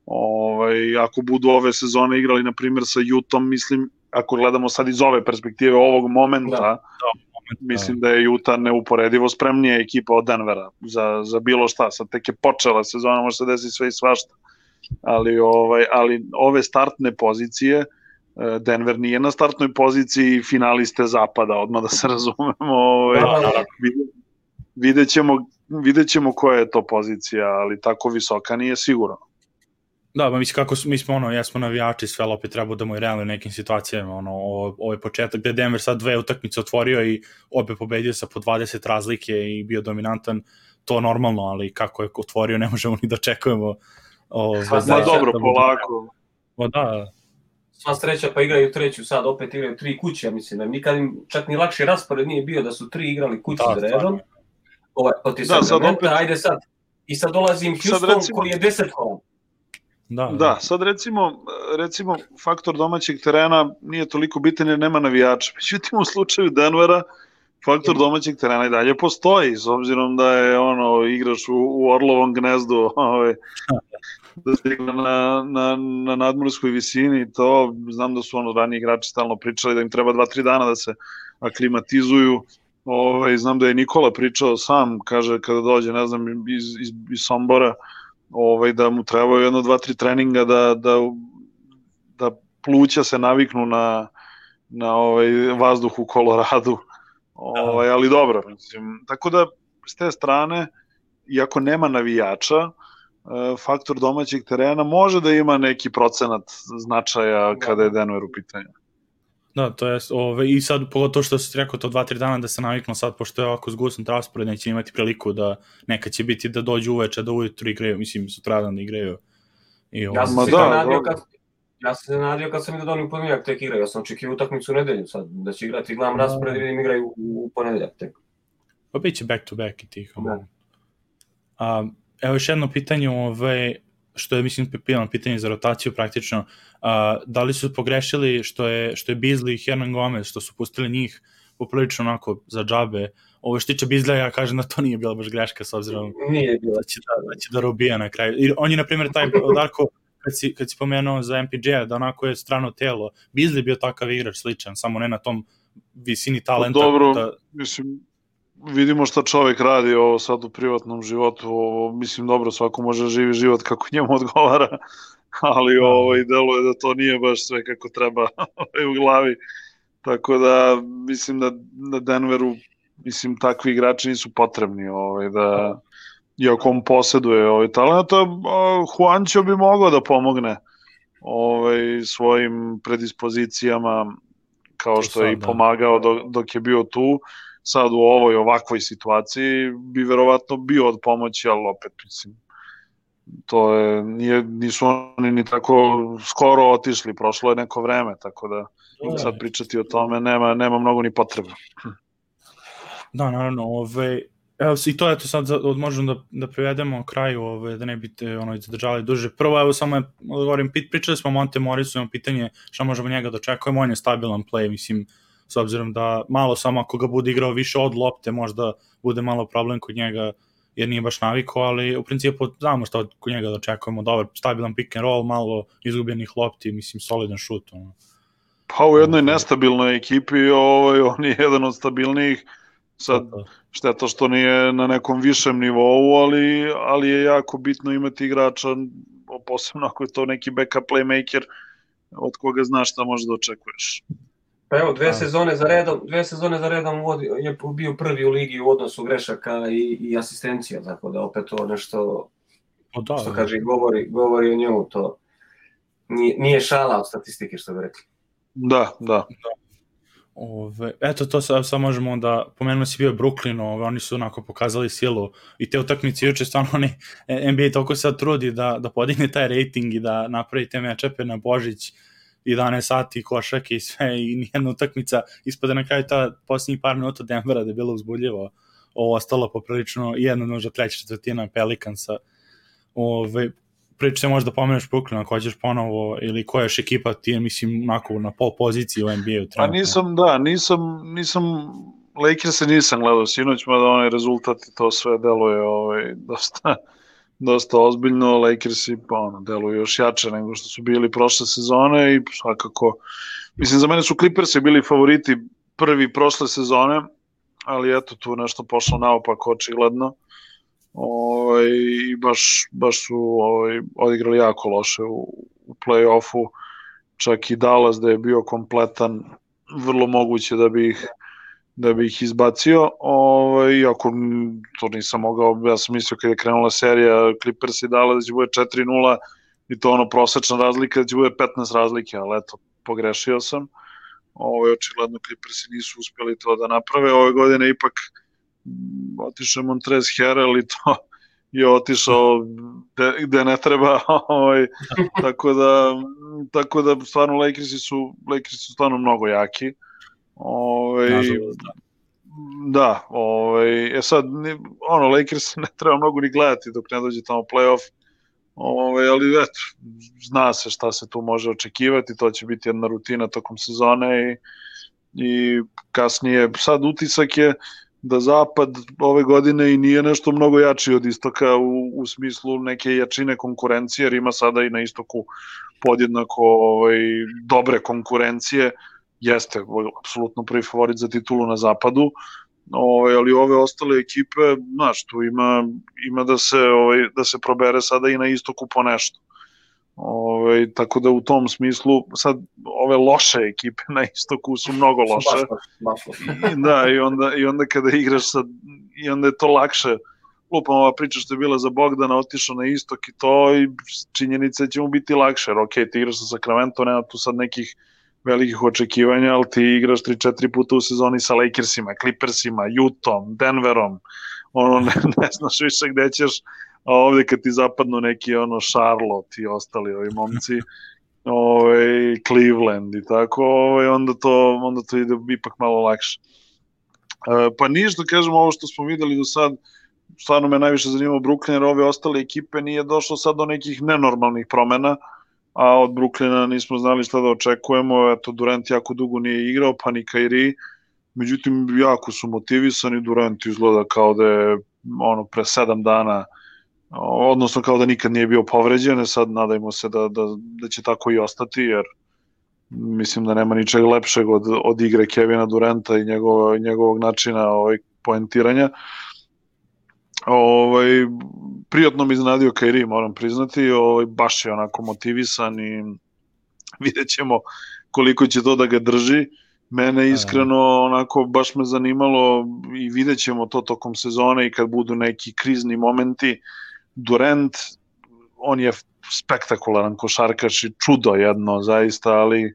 Ovaj, ako budu ove sezone igrali, na primjer, sa Utahom, mislim, ako gledamo sad iz ove perspektive, ovog momenta, da, da, moment, mislim da je Utah neuporedivo spremnija ekipa od Denvera za, za bilo šta. Sad tek je počela sezona, može se desiti sve i svašta. Ali, ovaj, ali ove startne pozicije, Denver nije na startnoj poziciji finaliste zapada, odmah da se razumemo. Ovaj, da, da. Vidjet ćemo, vidjet ćemo koja je to pozicija, ali tako visoka nije sigurno. Da, ba, mislim kako mi smo ono, jesmo navijači, sve opet treba da mu i realno u nekim situacijama, ono, ovaj početak gde Denver sad dve utakmice otvorio i obe pobedio sa po dvadeset razlike i bio dominantan, to normalno, ali kako je otvorio ne možemo ni da očekujemo. Ovaj, da, dobro, da polako. O, da. Sva sreća, pa igraju treću, sad opet igraju tri kuće, ja mislim da nikad im čak ni lakši raspored nije bio da su tri igrali kući za redom. Ovaj, poti da, sad opet... ajde sad. I sad dolazim Houston recimo... koji je deset kola. Da, da, sad recimo, recimo faktor domaćeg terena nije toliko bitan jer nema navijača. Međutim, u slučaju Denvera faktor domaćeg terena i dalje postoji, s obzirom da je ono igraš u, u Orlovom gnezdu, ovaj, da se igra na, na, na nadmorskoj visini, to znam da su ono raniji igrači stalno pričali da im treba dva tri dana da se aklimatizuju. Ovaj, znam da je Nikola pričao sam, kaže kada dođe, ne znam, iz, iz, iz Sombora, ovaj, da mu trebaju jedno, dva, tri treninga da, da, da pluća se naviknu na, na ovaj vazduh u Koloradu. Ovaj, ali dobro, mislim. Tako da, s te strane, iako nema navijača, faktor domaćeg terena može da ima neki procenat značaja kada je Denver u pitanju. Da, to je, ove, i sad pogotovo što si rekao to dva tri dana da se naviknu sad, pošto je ovako zgusnut raspored, neće imati priliku da neka će biti da dođu uveče, da ujutru igraju, mislim, sutradan da igraju. I, ja sam se da, nadio kad, ja sam se nadio kad sam vidio da oni u ponedeljak tek igraju, ja sam očekio utakmicu u nedelju sad, da će igrati, gledam raspored i vidim igraju u ponedeljak tek. Pa bit će back to back i tih. A, evo još jedno pitanje, ove, što je, mislim, pipilano pitanje za rotaciju praktično, a, da li su pogrešili što je, što je Beasley i Hernan Gomez, što su pustili njih, poprilično onako za džabe. Ovo što tiče Bizleja, ja kažem da to nije bila baš greška s obzirom nije bila. Da, će da, da će da robija na kraju. I on je, na primjer, taj Darko, kad si, kad si pomenuo za M P J-a, da onako je strano telo. Bizley bio takav igrač sličan, samo ne na tom visini talenta. Dobro, da... mislim, vidimo šta čovjek radi ovo sad u privatnom životu, ovo, mislim, dobro, svako može da živi život kako njemu odgovara, ali ovo, i deluje da to nije baš sve kako treba u glavi, tako da mislim da na Denveru, mislim, takvi igrači nisu potrebni, ovaj, da, iako on posjeduje ovaj talent, Juancho bi mogao da pomogne ovaj, svojim predispozicijama, kao što je i pomagao dok, dok je bio tu. Sad u ovoj ovakvoj situaciji bi verovatno bio od pomoći, ali opet, mislim, to je, nije, nisu oni ni tako skoro otišli, prošlo je neko vreme, tako da sad pričati o tome nema, nema mnogo ni potrebe. Da, naravno, ove, evo, i to je to sad, možemo da, da privedemo kraju, ove, da ne biste ono, zadržali duže. Prvo, evo, samo je, govorim, pričali smo o Monte Morrisu, imamo pitanje šta možemo njega da očekujemo, on je stabilan play, mislim, s obzirom da malo samo ako ga bude igrao više od lopte, možda bude malo problem kod njega, jer nije baš naviko, ali u principu znamo šta kod njega da očekujemo, dobar, stabilan pick and roll, malo izgubljenih lopti, mislim, solidan šut. Ono. Pa u jednoj nestabilnoj ekipi ovaj, on je jedan od stabilnijih, sad šteta što nije na nekom višem nivou, ali, ali je jako bitno imati igrača, posebno ako je to neki backup playmaker, od koga znaš šta možeš da očekuješ. Pa evo, dve sezone za redom, dve sezone za redom je bio prvi u ligi u odnosu grešaka i, i asistencija, tako da opet to nešto, o, da, što kaže, govori, govori o njemu, to nije, nije šala od statistike, što bi rekli. Da, da. Ove, eto, to sad, sad možemo onda, pomenuo si bio Brooklyn, ove, oni su onako pokazali silu i te utakmice juče, stvarno oni, N B A toliko sad trudi da, da podigne taj rating i da napravi te mečepe na Božić, jedanaest sati, košake i sve, i nijedna utakmica, ispada na kraju ta posljednjih par minuta Denvera da je bilo uzbudljivo, ovo ostalo poprilično, jedna možda treća četvrtina Pelicansa. Ove, priča možda pomeneš Brooklyn, ako hoćeš ponovo, ili koja još ekipa ti je, mislim, onako na pol poziciji u N B A-u. Pa nisam, da, nisam, nisam, Lakers-e nisam gledao sinoć, mada onaj rezultat i to sve deluje ovaj, dosta... dosta ozbiljno, Lakersi pa ono, deluju još jače nego što su bili prošle sezone i svakako, mislim, za mene su Clippersi bili favoriti prvi prošle sezone, ali eto, tu nešto pošlo naopako očigledno. Ovaj, i baš, baš su ovaj, odigrali jako loše u, u play-offu, čak i Dallas da je bio kompletan, vrlo moguće da bi ih da bi ih izbacio, ovaj, iako to nisam mogao, ja sam mislio kada je krenula serija Clippers i Dallas da će bude četiri nula i to ono prosečna razlika da će bude petnaest razlike, ali eto, pogrešio sam. Ovaj, očigledno Clippersi nisu uspjeli to da naprave, ove godine ipak otišao Montrezl Harrell i to je otišao gde, gde ne treba, ovaj, tako da tako da stvarno Lakersi su, Lakersi su stvarno mnogo jaki. Ove, Nažalost, da. Da, ove, e sad, ono, Lakers ne treba mnogo ni gledati dok ne dođe tamo play-off, ove, ali eto, zna se šta se tu može očekivati, to će biti jedna rutina tokom sezone i, i kasnije, sad utisak je da zapad ove godine i nije nešto mnogo jači od istoka u, u smislu neke jačine konkurencije, jer ima sada i na istoku podjednako ovaj, dobre konkurencije, jeste apsolutno prvi favorit za titulu na zapadu, ovaj, ali ove ostale ekipe, znaš, tu ima, ima da, se, ovaj, da se probere sada i na istoku po nešto. Ovaj, tako da u tom smislu sad ove loše ekipe na istoku su mnogo loše. I, da, i onda, i onda kada igraš sad, i onda je to lakše. Lupam, ova priča što je bila za Bogdana, otišao na istok i to, i činjenica će mu biti lakše, jer ok, ti igraš sa Sacramento, nema tu sad nekih velikih očekivanja, ali ti igraš tri četiri puta u sezoni sa Lakersima, Clippersima, Utahom, Denverom, ono, ne, ne znaš više gde ćeš, a ovde kad ti zapadnu neki ono Charlotte i ostali ovi momci, ovaj, Cleveland i tako, ovaj, onda, to, onda to ide ipak malo lakše. E, pa ništa, kažemo, ovo što smo videli do sad, stvarno me najviše zanimao Brooklyn, jer ove ostale ekipe nije došlo sad do nekih nenormalnih promena, a od Brooklyna nismo znali šta da očekujemo, eto Durant jako dugo nije igrao, pa ni Kyrie, međutim jako su motivisani, Durant izgleda kao da je ono pre sedam dana, odnosno kao da nikad nije bio povređen, sad nadajmo se da, da, da će tako i ostati, jer mislim da nema ničeg lepšeg od, od igre Kevina Duranta i njegov, njegovog načina ovaj, poentiranja. Ovaj, prijatno mi iznenadio Kyrie, moram priznati, ovaj, baš je onako motivisan i vidjet ćemo koliko će to da ga drži. Mene iskreno onako baš me zanimalo i vidjet ćemo to tokom sezone i kad budu neki krizni momenti. Durant, on je spektakularan košarkaš i čudo jedno zaista, ali,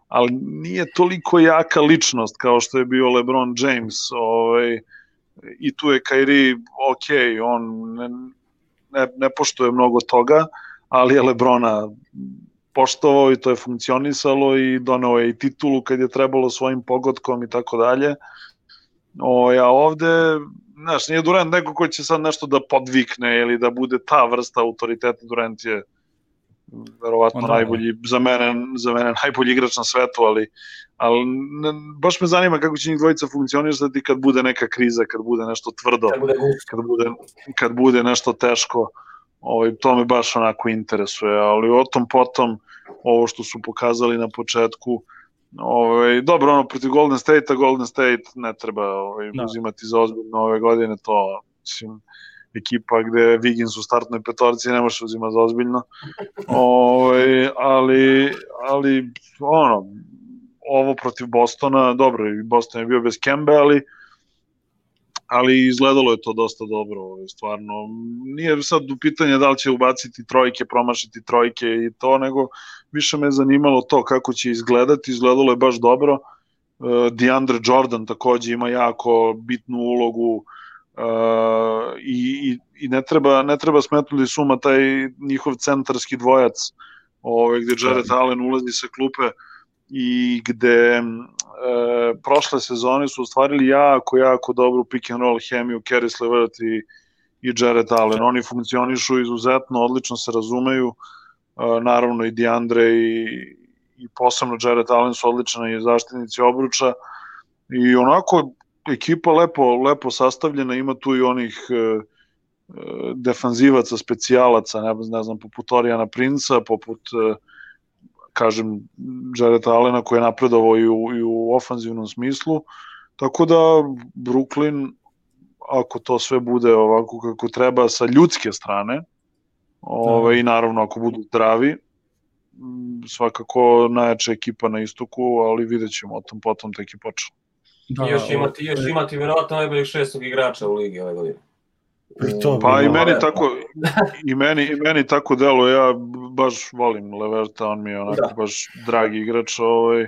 ali nije toliko jaka ličnost kao što je bio LeBron James, ovaj, i tu je Kyrie, ok, on ne, ne, ne poštuje mnogo toga, ali je LeBrona poštovao i to je funkcionisalo i doneo je i titulu kad je trebalo svojim pogodkom i tako dalje. O, ja ovde, znaš, nije Durant neko ko će sad nešto da podvikne ili da bude ta vrsta autoriteta. Durant je verovatno Onda, najbolji, za mene, za mene najbolji igrač na svetu, ali, ali ne, baš me zanima kako će njih dvojica funkcionisati kad bude neka kriza, kad bude nešto tvrdo, kad bude, kad bude nešto teško. Ovaj, to me baš onako interesuje, ali o tom potom, ovo što su pokazali na početku, ovaj, dobro, ono, protiv Golden State-a, Golden State ne treba ovaj, uzimati za ozbiljno ove godine, to, mislim, ekipa gde Wiggins u startnoj petorci ne može uzimati za ozbiljno, ovaj, ali, ali, ono, ovo protiv Bostona, dobro, Boston je bio bez Kembe, ali ali izgledalo je to dosta dobro, stvarno. Nije sad u pitanje da li će ubaciti trojke, promašiti trojke i to, nego više me zanimalo to kako će izgledati, izgledalo je baš dobro. DeAndre Jordan takođe ima jako bitnu ulogu uh, i, i ne treba, ne treba smetnuti suma taj njihov centarski dvojac, ovaj, gde Jarrett Allen ulazi sa klupe i gde e, prošle sezone su ostvarili jako, jako dobru pick and roll hemiju Caris LeVert i, i Jarrett Allen. Oni funkcionišu izuzetno, odlično se razumeju, e, naravno i DeAndre i, i posebno Jarrett Allen su odlični zaštitnici obruča i onako ekipa lepo, lepo sastavljena, ima tu i onih e, defanzivaca, specijalaca, ne, ne znam, poput Orijana Princa, poput e, kažem, Jarrett Allena koji je napredovao i u, i u ofanzivnom smislu, tako da Brooklyn, ako to sve bude ovako kako treba sa ljudske strane, ove, i naravno ako budu zdravi, svakako najjača ekipa na istoku, ali vidjet ćemo o tom potom tek i počelo. Da, I još imati, još imati vjerovatno najboljeg šestog igrača u ligi ove godine. To, pa i meni tako i meni i meni tako delo, ja baš volim Leverta, on mi je onako da. baš dragi igrač, ovaj,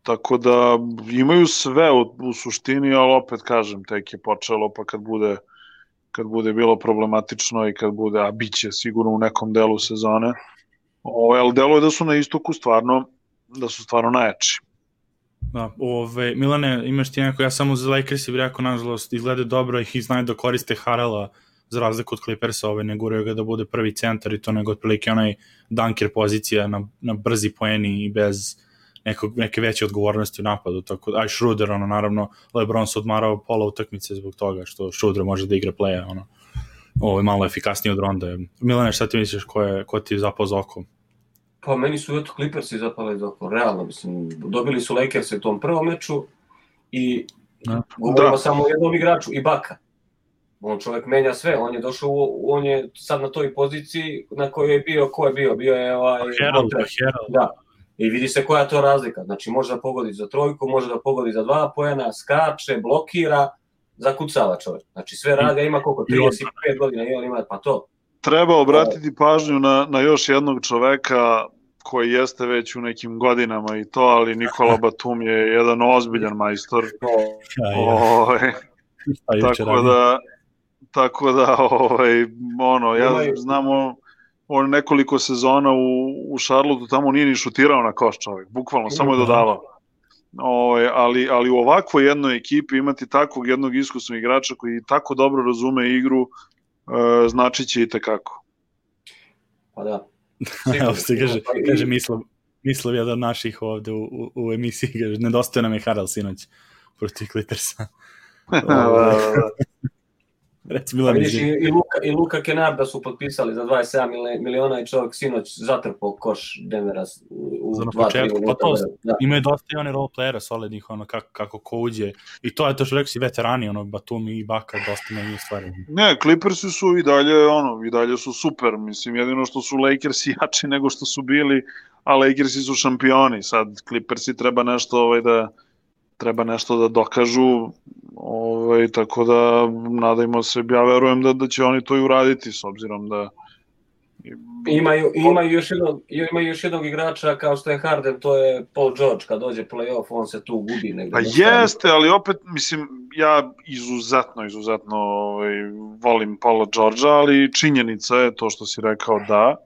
tako da imaju sve u, u suštini, ali opet kažem, tek je počelo, pa kad bude kad bude bilo problematično i kad bude, a bit će sigurno u nekom delu sezone, ovaj, ali delo je da su na istoku stvarno, da su stvarno najjači. Da, ove, Milane, imaš ti neko, ja samo za Lakers bih rekao, nažalost, izgleda dobro i znaju da koriste Harrella za razliku od Clippersa, ove, ne guraju ga da bude prvi centar i to nego otprilike onaj dunker pozicija na, na brzi poeni i bez nekog, neke veće odgovornosti u napadu, tako da, aj Schroeder, ono, naravno, LeBron se odmarao pola utakmice zbog toga što Schroeder može da igra playa, ono, ovo je malo efikasnije od Ronda. Milane, šta ti misliš, ko, je, ko ti je zapao za oko? Pa meni su eto Clippersi zapali za oko, realno, mislim, dobili su Lakers u tom prvom meču i da. govorimo da. samo o jednom igraču i Baka. On čovjek menja sve, on je došao, u, on je sad na toj poziciji na kojoj je bio, ko je bio, bio je ovaj... Herald, Herald. Da, i vidi se koja je to razlika, znači može da pogodi za trojku, može da pogodi za dva poena, skače, blokira, zakucava čovjek. Znači sve radi, ima koliko, trideset pet godina i on ima, pa to. Treba obratiti pažnju na, na još jednog čoveka koji jeste već u nekim godinama i to, ali Nikola Batum je jedan ozbiljan majstor. Ovaj, tako da, tako da, ovaj, ono, ja znamo on nekoliko sezona u, u Charlotteu, tamo nije ni šutirao na koš čovjek, bukvalno, samo je dodavao. Ovaj, ali, ali u ovakvoj jednoj ekipi imati takvog jednog iskusnog igrača koji tako dobro razume igru, e, znači će i tekako. Pa da. Evo se kaže, kaže Mislav, Mislav jedan od naših ovde u, u, u emisiji, kaže, nedostaje nam je Harrell sinoć. protiv Clippersa. Reci Milan. Vidiš, i, i, Luka, i Luka Kennarda su potpisali za dvadeset sedam miliona i čovjek sinoć zatrpao koš Denvera u dva tri minuta. Pa to, da. Imaju dosta i one role playera solidnih, ono, kako, kako ko uđe. I to je to što rekao si veterani, ono, Batum i Ibaka, dosta menjih stvari. Ne, Clippersi su i dalje, ono, i dalje su super, mislim, jedino što su Lakersi jači nego što su bili, a Lakersi su šampioni, sad Clippersi treba nešto, ovaj, da treba nešto da dokažu, ovaj, tako da nadajmo se, ja verujem da, da će oni to i uraditi, s obzirom da imaju, imaju, još jednog, imaju još jednog igrača kao što je Harden, to je Paul George, kad dođe play-off, on se tu gubi negdje. Pa jeste, ali opet, mislim, ja izuzetno, izuzetno ovaj, volim Paula Georgea, ali činjenica je to što si rekao da,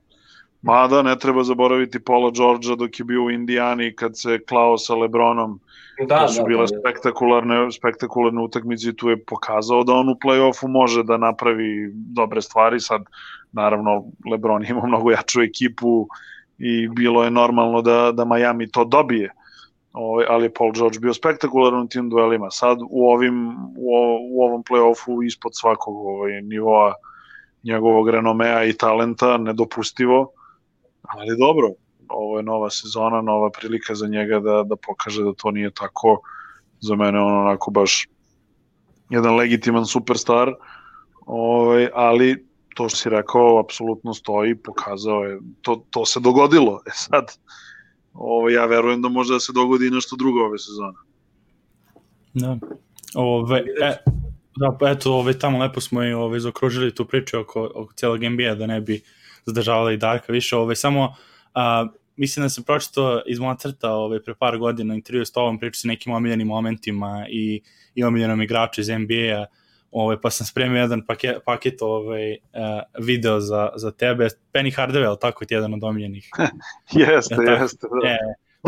mada ne treba zaboraviti Paula Georgea dok je bio u Indijani kad se klao sa LeBronom. Da, to su da, bile da, spektakularne, spektakularne utakmice i tu je pokazao da on u play-offu može da napravi dobre stvari. Sad, naravno, LeBron ima mnogo jaču ekipu i bilo je normalno da, da Miami to dobije. O, ali je Paul George bio spektakularan u tim duelima. Sad u, ovim, u, u ovom play-offu ispod svakog ovaj, nivoa njegovog renomea i talenta, nedopustivo, ali dobro. Ovo je nova sezona, nova prilika za njega da, da pokaže da to nije tako. Za mene on onako baš jedan legitiman superstar, ovaj, ali to što si rekao apsolutno stoji, pokazao je, to, to se dogodilo. E sad, ovaj, ja verujem da može da se dogodi i nešto drugo ove sezone. Da, ove, e, da pa eto, ove, tamo lepo smo i ove, zaokružili tu priču oko, oko cijelog N B A, da ne bi zadržavali Darka više, ove, samo a, mislim da sam pročitao iz moja crta ovaj, pre par godina intervju s tobom, pričao sa nekim omiljenim momentima i, i omiljenom igraču iz N B A, ovaj, pa sam spremio jedan paket, paket ovaj, uh, video za, za tebe. Penny Hardaway, tako ti jedan od omiljenih? jeste, ja, tako, jeste. Da. E,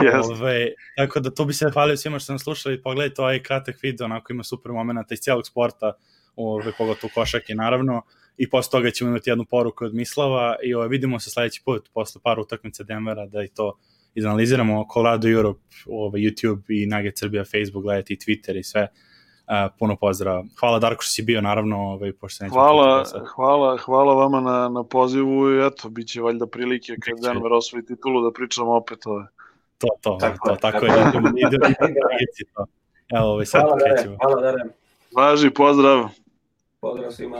jeste. Ovaj, tako da to bi se hvalio svima što sam slušali, pogledajte ovaj kratak video, onako ima super momenta iz cijelog sporta, ovaj, pogotovo košake naravno. I posle toga ćemo imati jednu poruku od Mislava i ovaj, vidimo se sledeći put posle par utakmica Denvera da i to izanaliziramo. Colorado Europe, ovaj, YouTube i Nugget Srbija, Facebook, gledajte i Twitter i sve. Uh, puno pozdrav. Hvala Darko što si bio, naravno. Ovaj, pošto hvala, hvala, hvala vama na, na pozivu i eto, bit će valjda prilike kad biće Denver osvoji titulu da pričamo opet ove. To, to, tako, to, tako je. Idemo, idemo, idemo, Evo, ovaj, sad hvala, Dare, hvala, Dare. Važi, pozdrav. Pozdrav svima.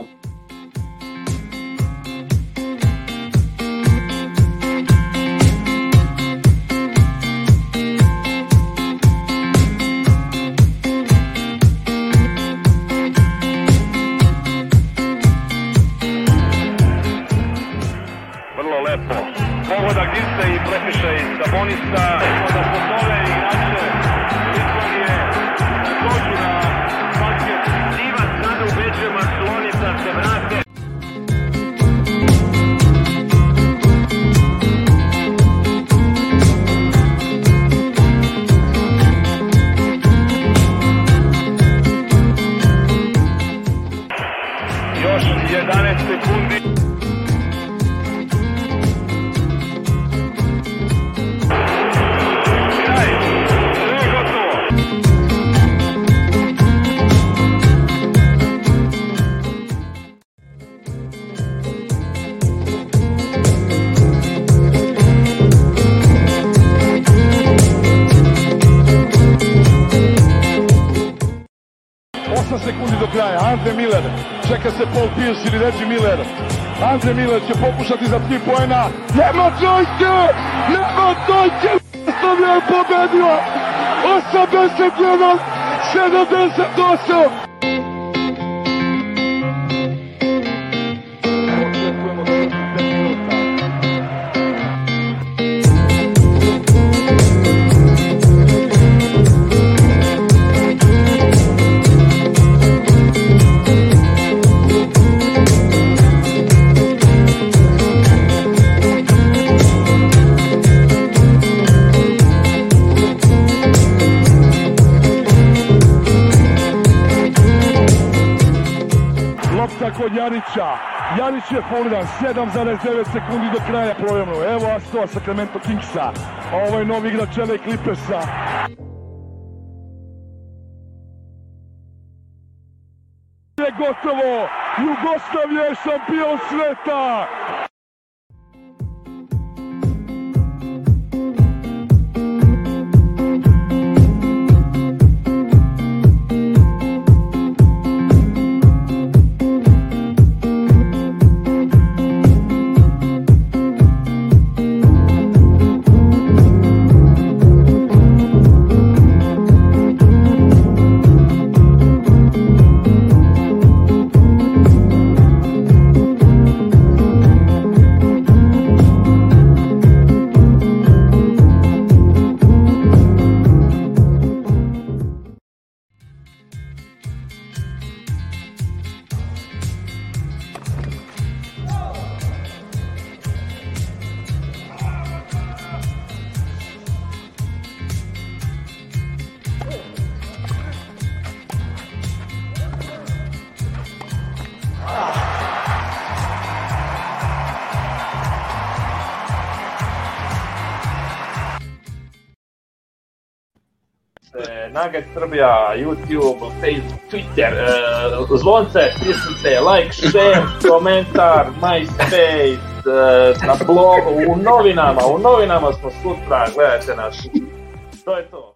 Pogodak Dirce i prekršaj Sabonisa, da pozove igrače Litvanije da dođu na basket. Divac sada ubeđuje Maslonita se vrate. Još jedanaest sekundi. Sekundi do kraja, Andre Miller, čeka se Paul Pierce ili Reggie Miller. Andre Miller će pokušati za tri poena. Nema trojke! Nema trojke! Stavlja je pobedio! osamdeset jedan sedamdeset osam! Kod Janića, Janić je fauliran, sedam zarez devet sekundi do kraja provjerno. Evo Astova Sacramento Kingsa, a ovo je novi igrač L A Clippersa. gotovo! Jugoslavija je šampion sveta! Nugget Srbija, YouTube, Facebook, Twitter, uh, zvonce, stisnite, like, share, komentar, MySpace, uh, na blogu, u novinama, u novinama smo sutra, gledajte nas. To je to.